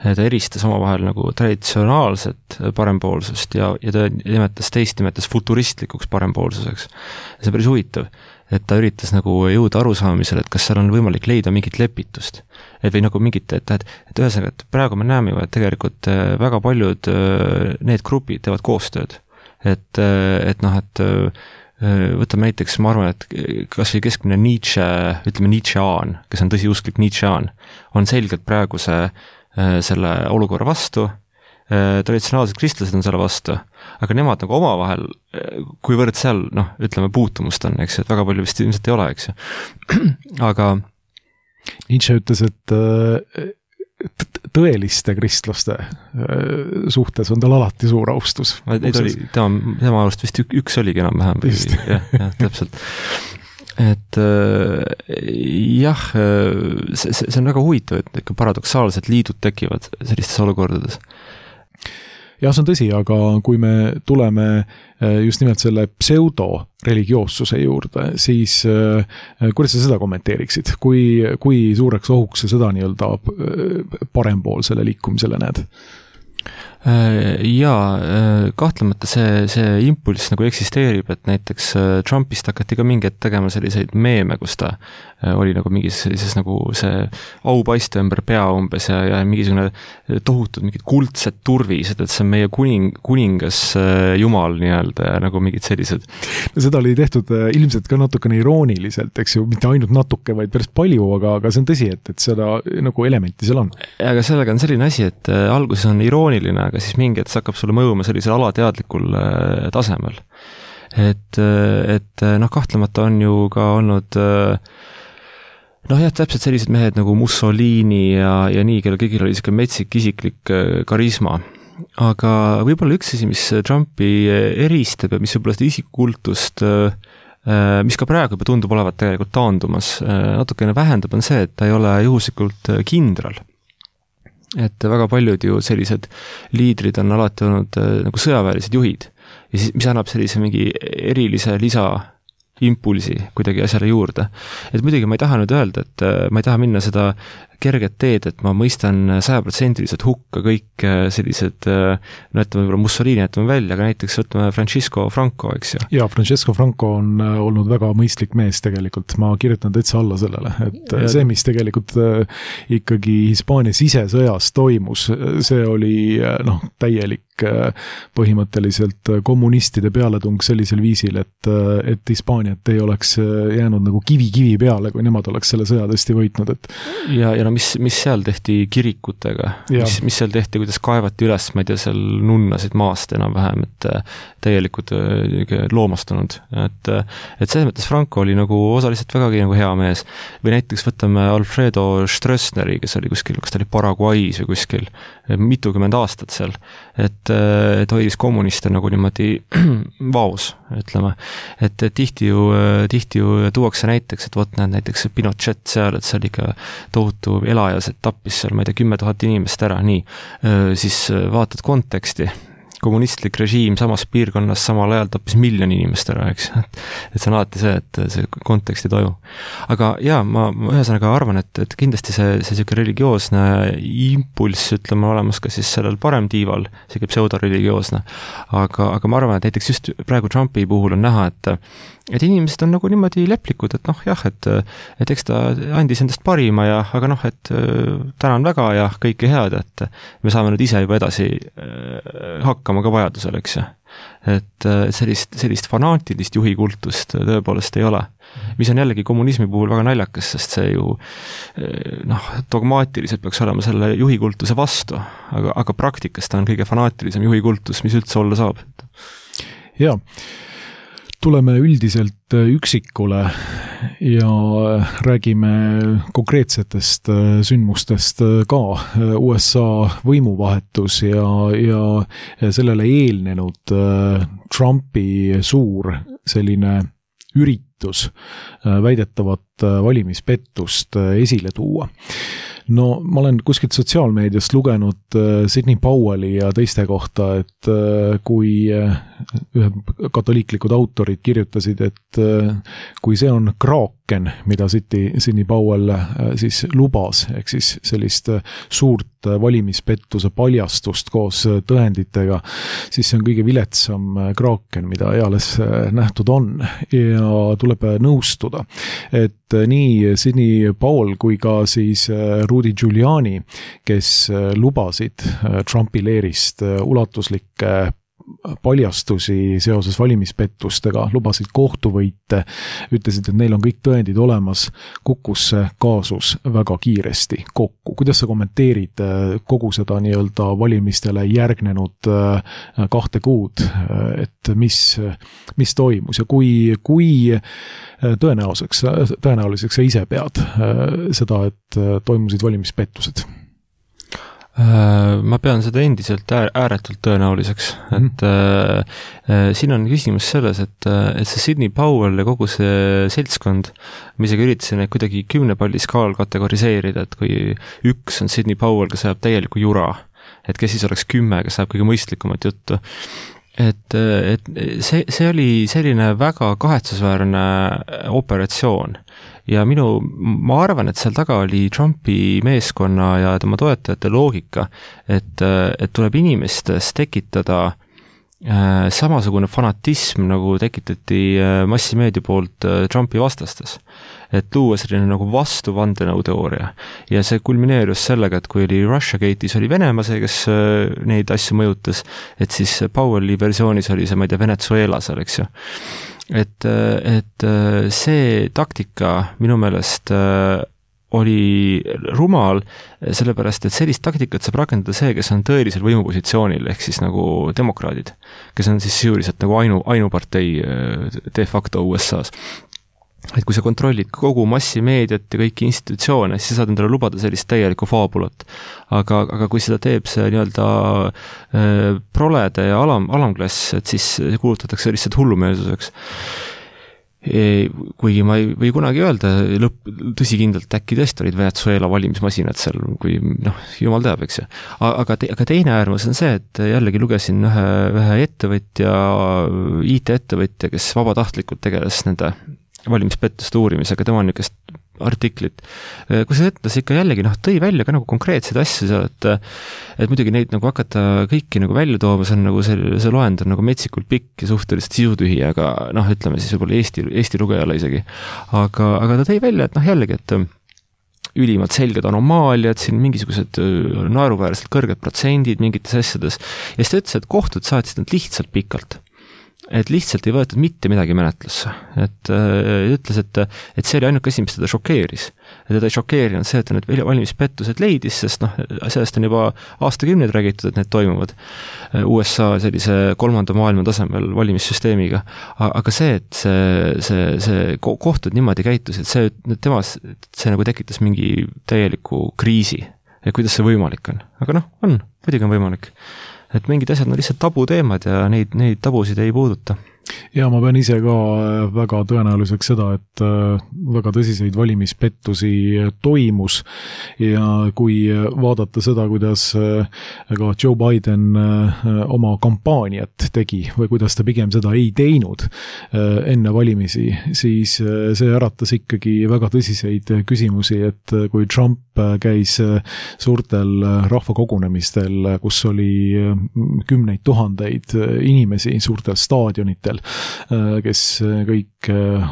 C: ta eristas omavahel nagu traditsionaalset parempoolsust ja, ja ta nimetas teist nimetas futuristlikuks parempoolsuseks. See on päris huvitav, et ta üritas nagu jõuda arusaamisele, et kas seal on võimalik leida mingit lepitust. Et või nagu mingit, et, et, et ühesõnaga, et praegu me näeme ju, et tegelikult väga paljud need grupid teevad koostööd. Et, et noh, et võtame näiteks, ma arvan, et kas või keskmine Nietzsche, ütleme Nietzschean, kes on tõsiusklik Nietzschean, on selgelt praeguse selle olukorra vastu, traditsionaalsed kristlased on selle vastu, aga nemad nagu omavahel, kuivõrd seal, noh, ütleme puutumust on, eks, et väga palju vist ilmselt ei ole, eks. Aga
B: Nietzsche ütles, et tõeliste kristlaste suhtes on tal alati suur austus.
C: Neid oli, tema, tema arust vist üks oligi enam-vähem. jah, jah, täpselt. Et jah, see, see on väga huvitav, et ikka paradoksaalsed liidud tekivad sellistes olukordades.
B: Jah, see on tõsi, aga kui me tuleme just nimelt selle pseudo-religioossuse juurde, siis kuidas sa seda kommenteeriksid? Kui, kui suureks ohuks sa seda nii-öelda parempoolsele liikumisele näed?
C: Jaa, kahtlemata see, see impulss nagu eksisteerib, et näiteks Trumpist hakati ka mingi hetk tegema selliseid meeme, kus ta oli nagu mingis sellises nagu see aupaiste ümber pea umbes ja, ja mingisugune tohutud mingid kuldsed turvised, et see on meie kuning, kuningas jumal nii-öelda ja nagu mingid sellised.
B: Seda oli tehtud ilmselt ka natukene irooniliselt, eks ju, mitte ainult natuke, vaid päris palju, aga, aga see on tõsi, et, et seda nagu elementi seal on.
C: Aga sellega on selline asi, et alguses on irooniline, aga siis mingi hetk hakkab sulle mõjuma sellisel alateadlikul tasemel. Et, et noh, kahtlemata on ju ka olnud noh jah, täpselt sellised mehed nagu Mussolini ja, ja nii, kelle kõigil oli selline metsik isiklik karisma. Aga võib-olla üks asi, mis Trumpi eristab ja mis võib-olla seda isikkultust, mis ka praegu juba tundub olevat tegelikult taandumas, natukene vähendab, on see, et ta ei ole juhuslikult kindral. Et väga paljud ju sellised liidrid on alati olnud nagu sõjaväelised juhid ja siis, mis annab sellise mingi erilise lisa impulsi kuidagi asjale juurde. Et muidugi ma ei taha nüüd öelda, et ma ei taha minna seda kerget teed, et ma mõistan sajaprotsendiliselt hukka kõik sellised, no ütleme võib-olla Mussolini jätame välja, aga näiteks võtame Francisco Franco, eks ju.
B: Ja, Francesco Franco on olnud väga mõistlik mees tegelikult, ma kirjutan täitsa alla sellele, et ja see, mis tegelikult ikkagi Hispaania sisesõjas toimus, see oli noh, täielik põhimõtteliselt kommunistide pealetung sellisel viisil, et, et Hispaaniat ei oleks jäänud nagu kivi kivi peale, kui nemad oleks selle sõja tõesti võitnud. Et...
C: Ja, ja no mis, mis seal tehti kirikutega, mis, mis seal tehti, kuidas kaevati üles, ma ei tea, seal nunnasid maast enam-vähem, et täielikud loomastunud. Et, et selles mõttes Franco oli nagu osaliselt vägagi nagu hea mees. Või näiteks võtame Alfredo Stroessneri, kes oli kuskil, kas ta oli Paraguay's või kuskil, mitukümmend aastat seal. Et, et hoidis kommuniste nagu niimoodi vaos, ütleme. Et, et tihti ju, tihti ju tuuakse näiteks, et võt näed näiteks Pinochet seal, et see oli ikka tohutu elajas, et tappis seal, ma ei tea, kümme tuhat inimest ära, nii. Siis vaatad konteksti. Kommunistlik režiim samas piirkonnas samal ajal tappis miljon inimest ära, eks. Et see on alati see, et see kontekst ei toimu. Aga jaa, ma, ma ühesõnaga arvan, et, et kindlasti see, see selline religioosne impulss, ütleme, olemas ka siis sellel parem tiival, selline pseudoreligioosne. Aga, aga ma arvan, et näiteks just praegu Trumpi puhul on näha, et et inimesed on nagu niimoodi leplikud, et noh, jah, et, et eks ta andis endast parima ja, aga noh, et tänan väga ja kõike head, et me saame nüüd ise juba edasi hakkama ka vajadusel, eks ju. Et sellist, sellist fanaatilist juhikultust tõepoolest ei ole. Mis on jällegi kommunismi puhul väga naljakas, sest see ju noh, dogmaatiliselt peaks olema selle juhikultuse vastu, aga, aga praktikas ta on kõige fanaatilisem juhikultus, mis üldse olla saab.
B: Jaa. Tuleme üldiselt üksikule ja räägime konkreetsetest sündmustest ka. U S A võimuvahetus ja, ja sellele eelnenud Trumpi suur selline üritus väidetavat valimispettust esile tuua. no ma olen kuskilt sotsiaalmeediast lugenud Sidney Powelli ja teiste kohta, et kui ühed katoliiklikud autorid kirjutasid, et kui see on kraaken, mida Sidney Powell siis lubas, ehk siis sellist suurt valimispettuse paljastust koos tõenditega, siis see on kõige viletsam kraaken, mida eales nähtud on ja tuleb nõustuda, et nii Sidney Powell kui ka siis Rudy Giuliani, kes lubasid Trumpi leerist ulatuslikke paljastusi seoses valimispettustega, lubasid kohtuvõite, ütlesid, et neil on kõik tõendid olemas, kukkus see kaasus väga kiiresti kokku. Kuidas sa kommenteerid kogu seda nii-öelda valimistele järgnenud kahte kuud, et mis, mis toimus ja kui, kui tõenäoliseks, tõenäoliseks sa ise pead seda, et toimusid valimispettused?
C: Ma pean seda endiselt ääretult tõenäoliseks, et mm. äh, siin on küsimus selles, et, et see Sidney Powell ja kogu see seltskond, ma isegi üritasin neid kuidagi kümnepalli skaal kategoriseerida, et kui üks on Sidney Powell, kes ajab täieliku jura, et kes siis oleks kümme, kes ajab kõige mõistlikumat juttu. Et, et see, see oli selline väga kahetsusväärne operatsioon ja minu, ma arvan, et seal taga oli Trumpi meeskonna ja tema toetajate loogika, et, et tuleb inimestes tekitada äh, samasugune fanatism, nagu tekitati äh, massimeedia poolt äh, Trumpi vastastes. Et luua selline nagu vastu vandenõuteooria. Ja see kulmineerus sellega, et kui oli Russiagate'is oli Venemaa see, kes äh, neid asju mõjutas, et siis Powelli versioonis oli see, ma ei tea, Venezuela seal, eks ju. Et, et see taktika minu meelest oli rumal, sellepärast, et sellist taktikat saab rakendada see, kes on tõelisel võimupositsioonil, ehk siis nagu demokraadid, kes on siis sisuliselt nagu ainu, ainupartei de facto U S A-s. Et kui sa kontrollid kogu massimeediat ja kõiki institutsioone, siis saad endale lubada sellist täielikku faabulat. Aga, aga kui seda teeb see nii-öelda äh, prolede ja alam, alamklass, et siis kuulutatakse lihtsalt hullumeelsuseks. E, kuigi ma ei või kunagi öelda lõpp, tõsikindlalt äkki tõesti olid Venezuela valimismasinad seal, kui noh, jumal teab, eks ju. Aga, te, aga teine äärmus on see, et jällegi lugesin ühe, ühe ettevõtja, I T-ettevõtja, kes vabatahtlikult tegeles nende valimispettuste uurimisega, tema on niisugust artiklit, kus see ütles ikka jällegi, noh, tõi välja ka nagu konkreetseid asju seal, et et muidugi neid nagu hakata kõiki nagu välja tooma, see on nagu see, see loend on nagu metsikult pikk ja suhteliselt sisutühi, aga noh, ütleme siis võib-olla Eesti, Eesti lugejale isegi. Aga, aga ta tõi välja, et noh, jällegi, et ülimalt selged anomaaliad, siin mingisugused naeruväärselt kõrged protsendid mingites asjades, ja siis ta ütles, et kohtud saatsid nad lihtsalt pikalt. Et lihtsalt ei võetud mitte midagi menetlusse. Et äh, ütles, et, et see oli ainuke asi, mis teda šokeeris. Et teda ei šokeerinud see, et ta need valimispettused leidis, sest noh, sellest on juba aastakümneid räägitud, et need toimuvad U S A sellise kolmanda maailma tasemel valimissüsteemiga. Aga see, et see, see, see kohtud niimoodi käitus, et see, tema, see nagu tekitas mingi täieliku kriisi. Ja kuidas see võimalik on? Aga noh, on, muidugi on võimalik. Et mingid asjad on lihtsalt tabuteemad ja neid, neid tabusid ei puuduta.
B: Ja ma pean ise ka väga tõenäoliseks seda, et väga tõsiseid valimispettusi toimus ja kui vaadata seda, kuidas ka Joe Biden oma kampaaniat tegi või kuidas ta pigem seda ei teinud enne valimisi, siis see äratas ikkagi väga tõsiseid küsimusi, et kui Trump käis suurtel rahvakogunemistel, kus oli kümneid tuhandeid inimesi suurtel staadionitel, kes kõik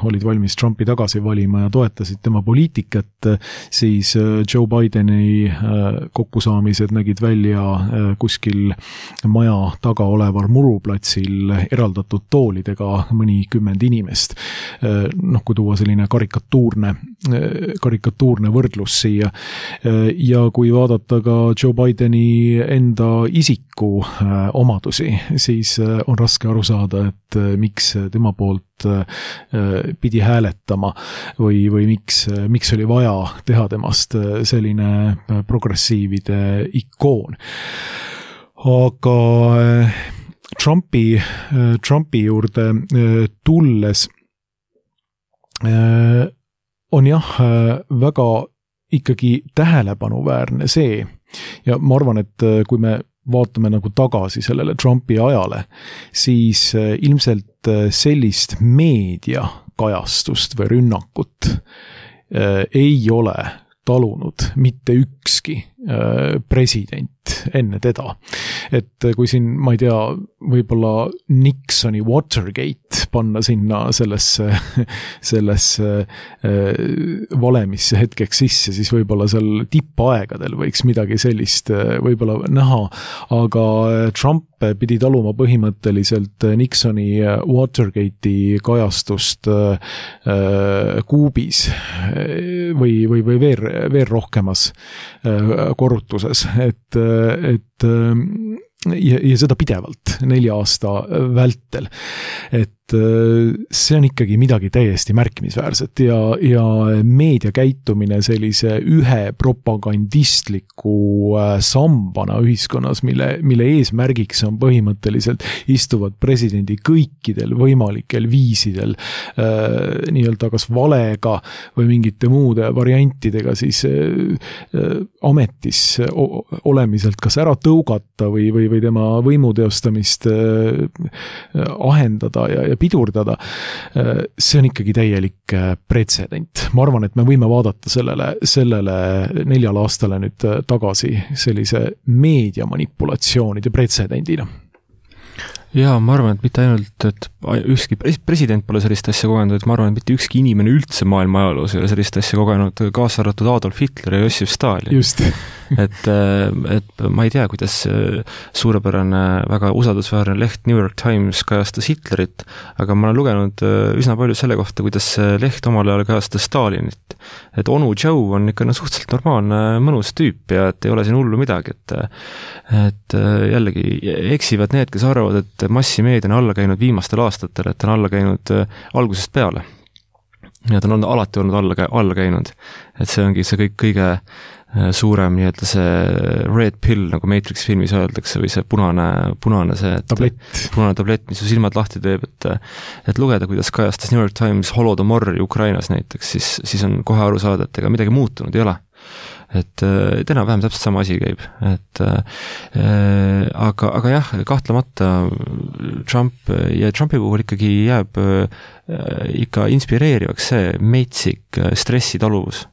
B: olid valmis Trumpi tagasi valima ja toetasid tema poliitikat, siis Joe Bideni kokkusaamised nägid välja kuskil maja taga oleval muruplatsil eraldatud toolidega mõnikümmend inimest. Noh, kui tuua selline karikatuurne, karikatuurne võrdlus siia. Ja kui vaadata ka Joe Bideni enda isiku omadusi, siis on raske aru saada, et miks tema poolt pidi hääletama või, või miks, miks oli vaja teha temast selline progressiivide ikoon. Aga Trumpi, Trumpi juurde tulles on jah väga ikkagi tähelepanuväärne see, ja ma arvan, et kui me vaatame nagu tagasi sellele Trumpi ajale, siis ilmselt sellist meediakajastust või rünnakut ei ole talunud mitte ükski president enne teda. Et kui siin, ma ei tea, võib-olla Nixoni Watergate panna sinna sellesse, sellesse valemisse hetkeks sisse, siis võib-olla seal tippaegadel võiks midagi sellist võib-olla näha, aga Trump pidi taluma põhimõtteliselt Nixoni Watergate'i kajastust kuubis või, või, või veel, veel rohkemas korrutuses, et, et ja, ja seda pidevalt nelja aasta vältel. Et see on ikkagi midagi täiesti märkimisväärset ja, ja meedia käitumine sellise ühe propagandistliku sambana ühiskonnas, mille, mille eesmärgiks on põhimõtteliselt istuvad presidendi kõikidel võimalikel viisidel äh, nii-öelda kas valega või mingite muude variantidega siis äh, ametis olemiselt kas ära tõugata või, või, või tema võimu teostamist äh, ahendada ja, ja pidurdada, see on ikkagi täielik pretsedent. Ma arvan, et me võime vaadata sellele, sellele neljale aastale nüüd tagasi sellise meediamanipulatsioonide pretsedendina.
C: Jaa, ma arvan, et mitte ainult, et ükski president pole sellist asja kogenud, et ma arvan, et mitte ükski inimene üldse maailma ajaloos ei ole sellist asja kogenud, kaasa arvatud Adolf Hitler ja Jossif Stalin.
B: Just.
C: et, et ma ei tea, kuidas suurepärane, väga usaldusväärne leht New York Times kajastas Hitlerit, aga ma olen lugenud üsna palju selle kohta, kuidas leht omal ajal kajastas Stalinit. Et onu Joe on ikka no, suhteliselt normaalne, mõnus tüüp ja et ei ole siin hullu midagi, et, et jällegi eksivad need, kes arvavad, et massimeedia on alla käinud viimastel aastatel, et on alla käinud algusest peale. Ja ta on alati olnud alla, alla käinud. Et see ongi see kõik kõige suurem nii-öelda see red pill, nagu Matrix filmis öeldakse, või see punane, punane see, et,
B: tablett.
C: punane tablett, mis su silmad lahti teeb, et, et lugeda, kuidas kajastas New York Times Holodomori Ukrainas näiteks, siis, siis on kohe aru saada, et ega midagi muutunud ei ole. Et, et enam-vähem täpselt sama asi käib, et äh, aga, aga jah, kahtlemata Trump ja Trumpi puhul ikkagi jääb äh, ikka inspireerivaks see meitsik stressitaluvus,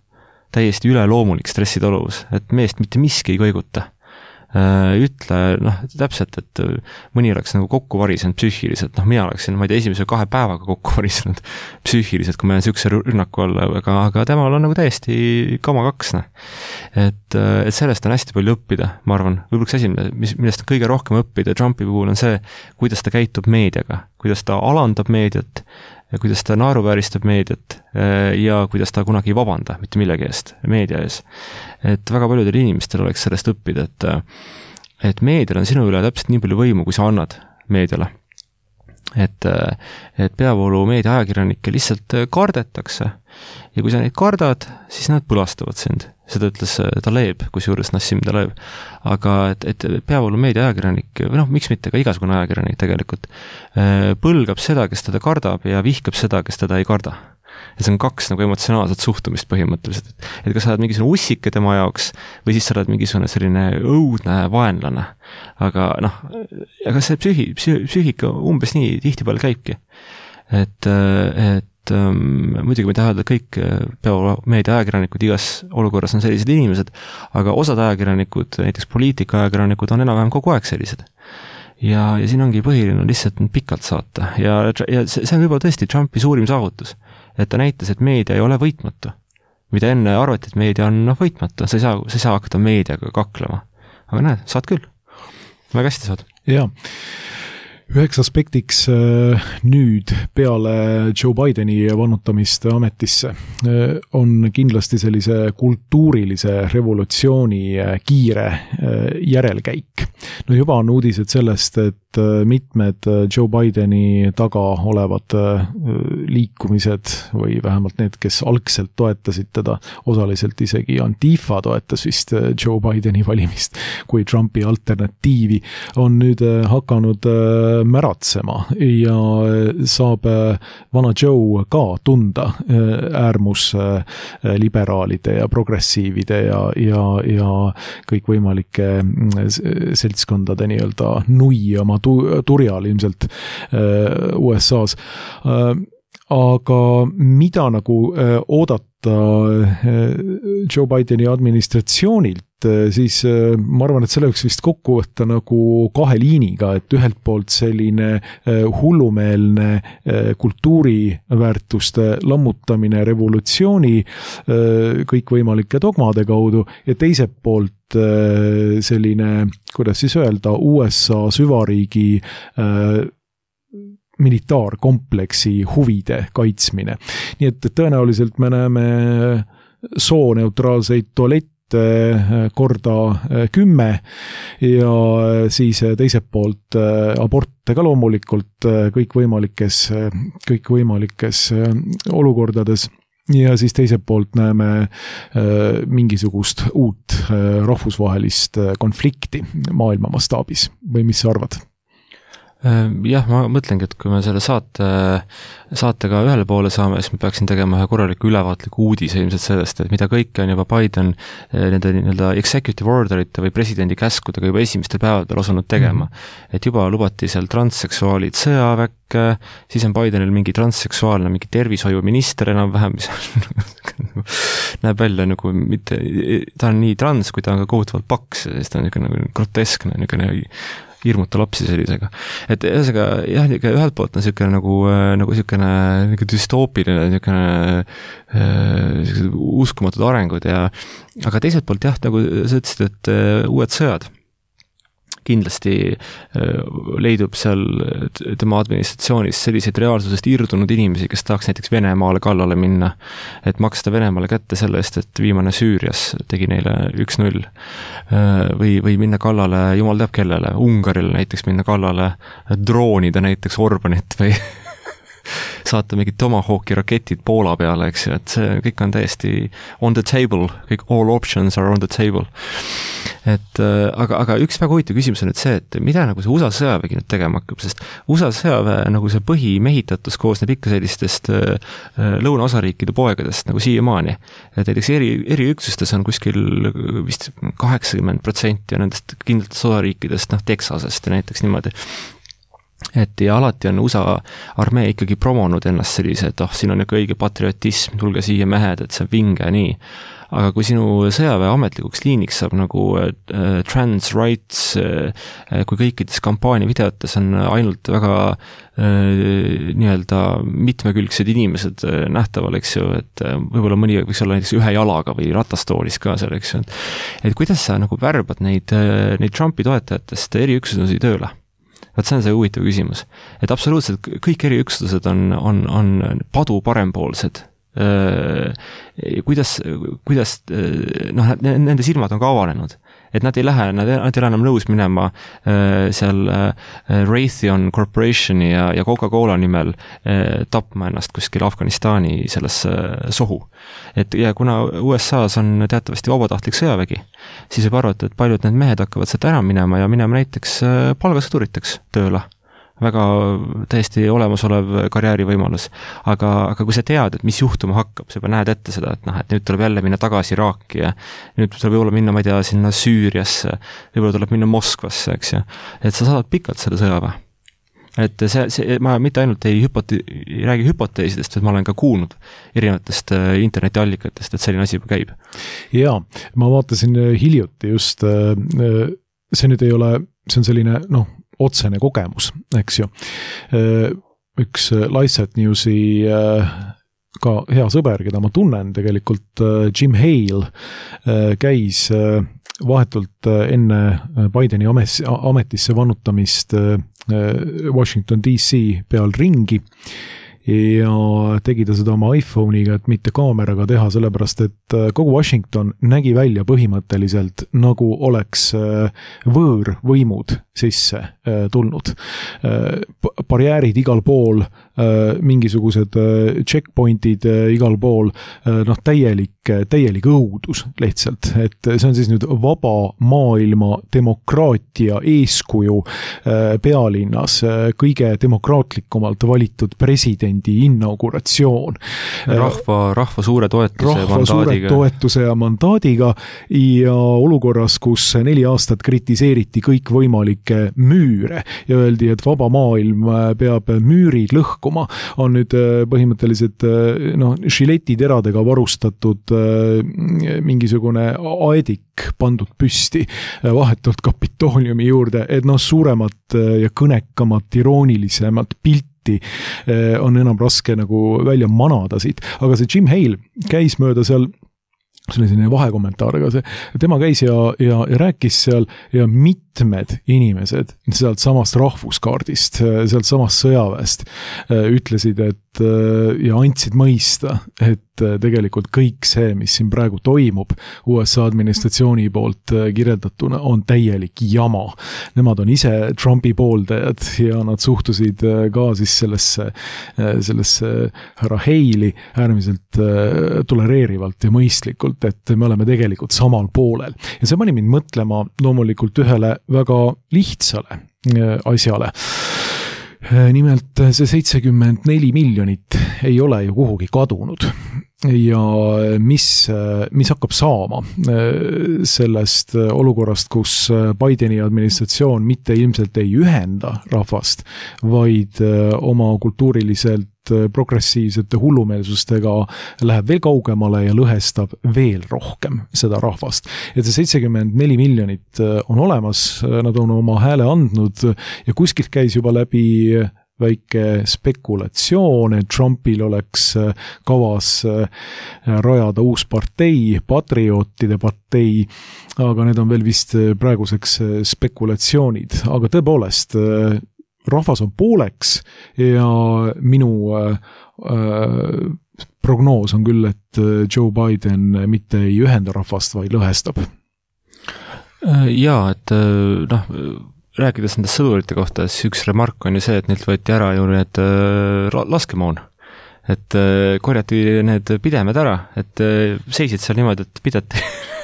C: täiesti üleloomulik stressitaluvus, et meest mitte miski ei kõiguta. Ütle, noh, täpselt, et mõni oleks nagu kokku varisenud psüühiliselt, noh, mina oleksin, ma ei tea, esimese kahe päevaga kokku varisenud psüühiliselt, kui ma jään sükse rünnaku alla, aga, aga temal on nagu täiesti kama kaks, noh. Et, et sellest on hästi palju õppida, ma arvan, võib-olla üks asi, mis, millest on kõige rohkem õppida Trumpi puhul on see, kuidas ta käitub meediaga, kuidas ta alandab meediat, ja kuidas ta naeruvääristab meediat ja kuidas ta kunagi ei vabanda mitte millegi eest, meedia ees. Et väga paljudel inimestel oleks sellest õppida, et, et meedial on sinu üle täpselt nii palju võimu, kui sa annad meediale. Et, et peavoolu meedia ajakirjanikke lihtsalt kardetakse ja kui sa neid kardad, siis nad põlastavad sind. Seda ütles Taleb, kusjuures Nassim Taleb. Aga et, et peavoolu meedia ajakirjanik, või noh, miks mitte ka igasugune ajakirjanik tegelikult, põlgab seda, kes teda kardab ja vihkab seda, kes teda ei karda. Ja see on kaks nagu emotsionaalset suhtumist põhimõtteliselt. Et, et kas sa oled mingisugune ussike tema jaoks või siis sa oled mingisugune selline õudne vaenlane. Aga noh, aga see psühi, psühi, psühika umbes nii tihtipeale käibki. Et, et et um, muidugi me tahame, et kõik peavomeedia ajakirjanikud igas olukorras on sellised inimesed, aga osad ajakirjanikud, näiteks poliitika ajakirjanikud on enam-vähem kogu aeg sellised. Ja, ja siin ongi põhiline lihtsalt pikalt saata. Ja, ja see, see on juba tõesti Trumpi suurim saavutus, et ta näitas, et meedia ei ole võitmatu. Mida enne arvati, et meedia on noh, võitmatu, sa ei saa, sa ei saa hakata meediaga kaklema. Aga näed, saad küll. Väga hästi saad.
B: Jaa. Üheks aspektiks nüüd peale Joe Bideni vannutamist ametisse on kindlasti sellise kultuurilise revolutsiooni kiire järelkäik. No juba on uudised sellest, et mitmed Joe Bideni taga olevad liikumised või vähemalt need, kes algselt toetasid teda, osaliselt isegi Antifa toetas vist Joe Bideni valimist kui Trumpi alternatiivi, on nüüd hakanud märatsema ja saab vana Joe ka tunda äärmusliberaalide ja progressiivide ja, ja, ja kõikvõimalike seltskondade nii-öelda nui oma turjal ilmselt U S A-s. Aga mida nagu oodata Joe Bideni administratsioonilt, siis ma arvan, et selle võiks vist kokku võtta nagu kahe liiniga, et ühelt poolt selline hullumeelne kultuuriväärtuste lammutamine revolutsiooni kõikvõimalike dogmade kaudu ja teiselt poolt selline, kuidas siis öelda, U S A süvariigi militaarkompleksi huvide kaitsmine. Nii et tõenäoliselt me näeme sooneutraalseid tualette korda kümme ja siis teiselt poolt aborte ka loomulikult kõikvõimalikes, kõikvõimalikes olukordades. Ja siis teiselt poolt näeme mingisugust uut rahvusvahelist konflikti maailma mastaabis. Või mis sa arvad?
C: Jah, ma mõtlengi, et kui me selle saate, saatega ühele poole saame, siis me peaksin tegema ühe korraliku ülevaatliku uudise ilmselt sellest, et mida kõike on juba Biden nende nii-öelda executive orderite või presidendi käskudega juba esimestel päevadel osanud tegema. Mm-hmm. Et juba lubati seal transseksuaalid sõjaväkke, siis on Bidenil mingi transseksuaalne, mingi tervishoiuminister enam-vähem, mis näeb välja nagu mitte, ta on nii trans, kui ta on ka kohutavalt paks, siis ta on niisugune nagu groteskne, niisugune hirmuta lapsi sellisega. Et ühesõnaga, jah, ühelt poolt on niisugune nagu, nagu niisugune nagu dystoopiline, niisugune uskumatud arengud ja aga teiselt poolt jah, nagu sa ütlesid, et uued sõjad kindlasti leidub seal tema administratsioonis selliseid reaalsusest irdunud inimesi, kes tahaks näiteks Venemaale kallale minna, et maksta Venemaale kätte selle eest, et viimane Süürias tegi neile üks null või, või minna kallale, jumal teab kellele, Ungarile näiteks minna kallale, droonida näiteks Orbanit või saata mingid Tomahawki raketid Poola peale, eks ju, et see kõik on täiesti on the table, kõik all options are on the table. Et aga, aga üks väga huvitav küsimus on nüüd see, et mida nagu see U S A sõjavägi nüüd tegema hakkab, sest U S A sõjaväe nagu see põhimehitatus koosneb ikka sellistest lõunaosariikide poegadest nagu siiamaani. Et näiteks eri, eriüksustes on kuskil vist kaheksakümmend protsenti nendest kindlatest osariikidest, noh, Texasest ja näiteks niimoodi. Et ja alati on U S A armee ikkagi promonud ennast sellise, et oh, siin on ikka õige patriotism, tulge siia mehed, et see on vinge nii. Aga kui sinu sõjaväe ametlikuks liiniks saab nagu äh, trans rights, äh, kui kõikides kampaania videotes on ainult väga äh, nii-öelda mitmekülgsed inimesed äh, nähtaval, eks ju, et äh, võib-olla mõni võiks olla näiteks ühe jalaga või ratastoolis ka seal, eks ju. Et kuidas sa nagu värbad neid, äh, neid Trumpi toetajatest eriüksusi tööle? Vaat see on see huvitav küsimus. Et absoluutselt kõik eriüksused on, on, on padu parempoolsed. Kuidas, kuidas noh, nende silmad on ka avanenud, et nad ei lähe, nad ei, nad ei ole enam nõus minema seal Raytheon Corporationi ja, ja Coca-Cola nimel tapma ennast kuskil Afganistani sellesse sohu. Et ja kuna U S A-s on teatavasti vabatahtlik sõjavägi, siis võib arvata, et paljud need mehed hakkavad sealt ära minema ja minema näiteks palgasõduriteks tööle. Väga täiesti olemasolev karjäärivõimalus. Aga, aga kui sa tead, et mis juhtuma hakkab, sa juba näed ette seda, et noh, et nüüd tuleb jälle minna tagasi Iraaki ja nüüd tuleb võib-olla minna, ma ei tea, sinna Süüriasse, võib-olla tuleb minna Moskvasse, eks ju. Et sa saad pikalt selle sõjaväe. Et see, see, ma mitte ainult ei, hüpote, ei räägi hüpoteesidest, et ma olen ka kuulnud erinevatest internetiallikatest, et selline asi juba käib.
B: Jaa, ma vaatasin hiljuti just, see nüüd ei ole, see on selline, noh, otsene kogemus, eks ju. Üks Lifesat Newsi ka hea sõber, keda ma tunnen tegelikult, Jim Hale, käis vahetult enne Bideni ametisse vannutamist Washington D C peal ringi ja tegi ta seda oma iPhone'iga, et mitte kaameraga teha, sellepärast et kogu Washington nägi välja põhimõtteliselt nagu oleks võõrvõimud sisse tulnud. Barjäärid igal pool, mingisugused checkpointid igal pool, noh täielik, täielik õudus lihtsalt, et see on siis nüüd vaba maailma demokraatia eeskuju pealinnas, kõige demokraatlikumalt valitud presidendi inauguratsioon.
C: Rahva, rahva suure toetuse
B: rahva
C: ja mandaadiga.
B: Suure toetuse ja mandaadiga ja olukorras, kus neli aastat kritiseeriti kõik võimalikke müüre ja öeldi, et vaba maailm peab müürid lõhkuma, on nüüd põhimõtteliselt noh, žiletiteradega varustatud mingisugune aedik pandud püsti vahetult Kapitooliumi juurde, et noh, suuremat ja kõnekamat, iroonilisemat pilti on enam raske nagu välja manada siit. Aga see Jim Hale käis mööda seal, see oli selline vahekommentaar, aga see, tema käis ja, ja, ja rääkis seal ja mitmed inimesed sealt samast rahvuskaardist, sealt samast sõjaväest ütlesid, et ja andsid mõista, et tegelikult kõik see, mis siin praegu toimub U S A administratsiooni poolt kirjeldatuna, on täielik jama. Nemad on ise Trumpi pooldajad ja nad suhtusid ka siis sellesse, sellesse härra Hale'i äärmiselt tolereerivalt ja mõistlikult, et me oleme tegelikult samal poolel. Ja see pani mind mõtlema loomulikult ühele väga lihtsale asjale. Nimelt see seitsekümmend neli miljonit ei ole ju kuhugi kadunud ja mis, mis hakkab saama sellest olukorrast, kus Bideni administratsioon mitte ilmselt ei ühenda rahvast, vaid oma kultuuriliselt progressiivsete hullumeelsustega läheb veel kaugemale ja lõhestab veel rohkem seda rahvast. Et see seitsekümmend neli miljonit on olemas, nad on oma hääle andnud ja kuskilt käis juba läbi väike spekulatsioon, et Trumpil oleks kavas rajada uus partei, patriootide partei, aga need on veel vist praeguseks spekulatsioonid. Aga tõepoolest, rahvas on pooleks ja minu äh, prognoos on küll, et Joe Biden mitte ei ühenda rahvast, vaid lõhestab.
C: Jaa, et noh, rääkides nendest sõdurite kohta, siis üks remark on ju see, et neilt võeti ära ju need laskemoon. Et korjati need pidemed ära, et seisid seal niimoodi, et pidati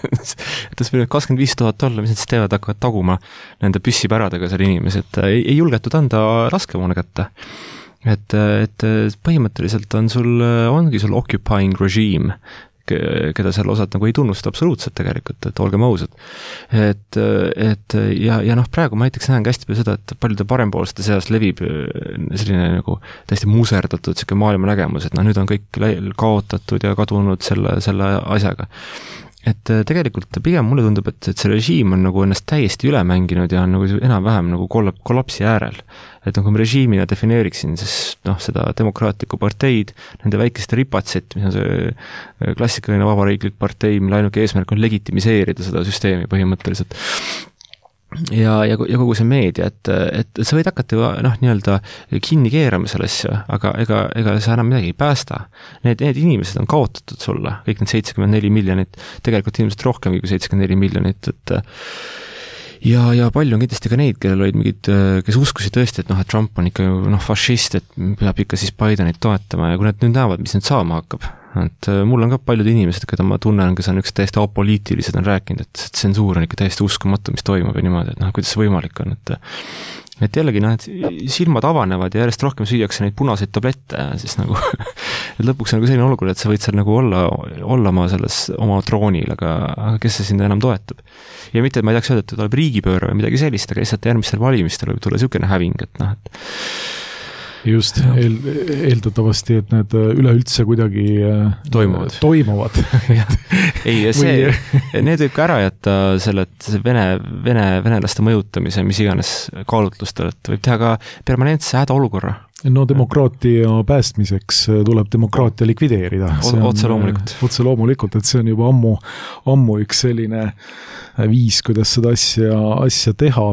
C: et see kakskümmend viis tuhat olla, mis nad siis teevad, hakkavad taguma nende püssipäradega seal inimesed, ei, ei julgetud anda laskemoona kätte. Et, et põhimõtteliselt on sul, ongi sul occupying regime, keda seal osad nagu ei tunnusta absoluutselt tegelikult, et olgem ausad. Et, et ja, ja noh, praegu ma näiteks näen hästi palju seda, et paljude parempoolste seas levib selline nagu täiesti muserdatud selline maailma nägemus, et noh, nüüd on kõik kaotatud ja kadunud selle, selle asjaga. Et tegelikult pigem mulle tundub, et, et see režiim on nagu ennast täiesti üle mänginud ja on nagu enam-vähem nagu kollapsi äärel. Et nagu ma režiimina defineeriksin, siis noh, seda demokraatlikku parteid, nende väikeste ripatsit, mis on see klassikaline vabariiklik partei, mille ainuke eesmärk on legitimiseerida seda süsteemi põhimõtteliselt. Ja, ja, ja kogu see meedia, et, et, et sa võid hakata ju noh, nii-öelda kinni keerama selle asja, aga ega, ega sa enam midagi ei päästa. Need, need inimesed on kaotatud sulle, kõik need seitsekümmend neli miljonit, tegelikult inimesed rohkemgi kui seitsekümmend neli miljonit, et ja, ja palju on kindlasti ka neid, kellel olid mingid, kes uskusid tõesti, et noh, et Trump on ikka ju noh, fašist, et peab ikka siis Bidenit toetama ja kui nad nüüd näevad, mis nüüd saama hakkab. Et mul on ka paljud inimesed, keda ma tunnen, kes on üks täiesti apoliitilised, on rääkinud, et tsensuur on ikka täiesti uskumatu, mis toimub ja niimoodi, et noh, kuidas see võimalik on, et et jällegi noh, et silmad avanevad ja järjest rohkem süüakse neid punaseid tablette ja siis nagu et lõpuks on nagu selline olukord, et sa võid seal nagu olla, olla ma selles oma troonil, aga, aga kes see sind enam toetab. Ja mitte, et ma ei tahaks öelda, et tuleb riigipööre või midagi sellist, aga lihtsalt järgmistel valimistel võib tulla niisugune häving, et noh, et
B: just, eel, eeldatavasti, et need üleüldse kuidagi
C: toimuvad.
B: toimuvad.
C: ei, see, need võib ka ära jätta selle, et see vene, vene, venelaste mõjutamise, mis iganes kaalutlustel, et võib teha ka permanentse hädaolukorra.
B: No demokraatia päästmiseks tuleb demokraatia likvideerida.
C: Otse loomulikult.
B: Otse loomulikult, et see on juba ammu, ammu üks selline viis, kuidas seda asja, asja teha.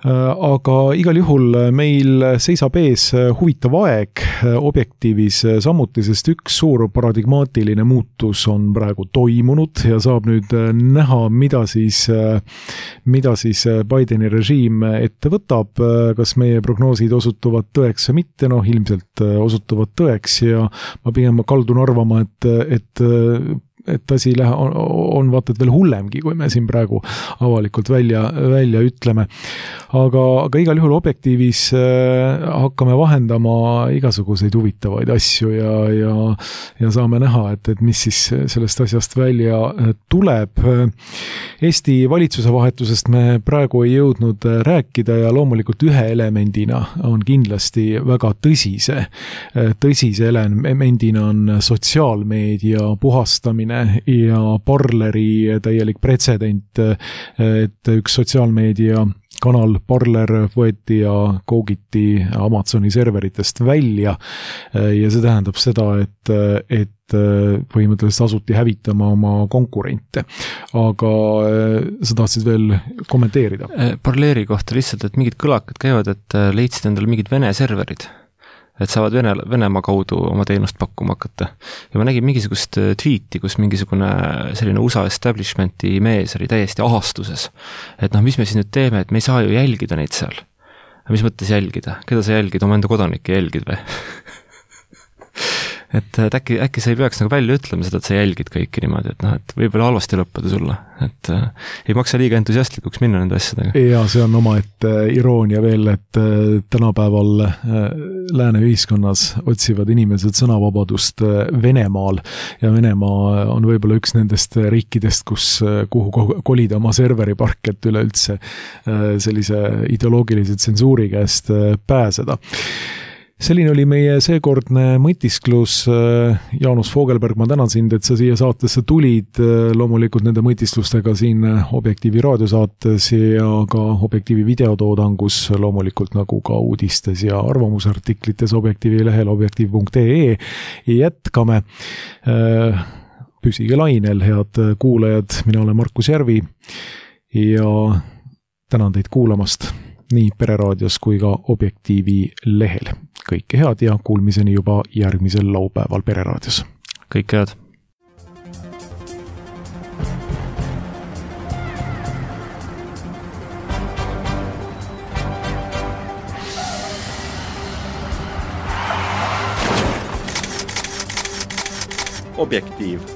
B: aga igal juhul meil seisab ees huvitav aeg Objektiivis samuti, sest üks suur paradigmaatiline muutus on praegu toimunud ja saab nüüd näha, mida siis, mida siis Bideni režiim ette võtab, kas meie prognoosid osutuvad tõeks või mitte, noh ilmselt osutuvad tõeks ja ma pigem kaldun arvama, et, et et asi lähe, on, on vaata, et veel hullemgi, kui me siin praegu avalikult välja, välja ütleme. Aga, aga igal juhul Objektiivis äh, hakkame vahendama igasuguseid huvitavaid asju ja, ja, ja saame näha, et, et mis siis sellest asjast välja tuleb. Eesti valitsuse vahetusest me praegu ei jõudnud rääkida ja loomulikult ühe elemendina on kindlasti väga tõsise, tõsise elemendina on sotsiaalmeedia puhastamine ja Parleri täielik pretsedent, et üks sotsiaalmeedia kanal Parler võeti ja koogiti Amazoni serveritest välja ja see tähendab seda, et, et põhimõtteliselt asuti hävitama oma konkurente. Aga sa tahtsid veel kommenteerida?
C: Parleri kohta lihtsalt, et mingid kõlakad käivad, et leidsid endale mingid Vene serverid, et saavad Vene, Venemaa kaudu oma teenust pakkuma hakata. Ja ma nägin mingisugust tweeti, kus mingisugune selline U S A establishmenti mees oli täiesti ahastuses. Et noh, mis me siin nüüd teeme, et me ei saa ju jälgida neid seal. Mis mõttes jälgida? Keda sa jälgid? Oma enda kodanikke jälgid või? et äkki, äkki sa ei peaks nagu välja ütlema seda, et sa jälgid kõiki niimoodi, et noh, et võib-olla halvasti lõppeda sulle, et äh, ei maksa liiga entusiastlikuks minna nende asjadega.
B: Ja see on oma, et äh, iroonia veel, et äh, tänapäeval äh, lääne ühiskonnas otsivad inimesed sõnavabadust äh, Venemaal ja Venemaa on võib-olla üks nendest riikidest, kus, äh, kuhu kolida oma serveripark, et üleüldse äh, sellise ideoloogilise tsensuuri käest äh, pääseda. Selline oli meie seekordne mõtisklus. Jaanus Fogelberg, ma tänan sind, et sa siia saatesse tulid. Loomulikult nende mõtisklustega siin Objektiivi raadiosaates ja ka Objektiivi videotoodangus, loomulikult nagu ka uudistes ja arvamusartiklites Objektiivi lehel objektiiv punkt ee. Jätkame. Püsige lainel, head kuulajad. Mina olen Markus Järvi ja tänan teid kuulamast nii Pereraadios kui ka Objektiivi lehel. Kõike head ja kuulmiseni juba järgmisel laupäeval Pereraadios.
C: Kõike head.
A: Objektiiv.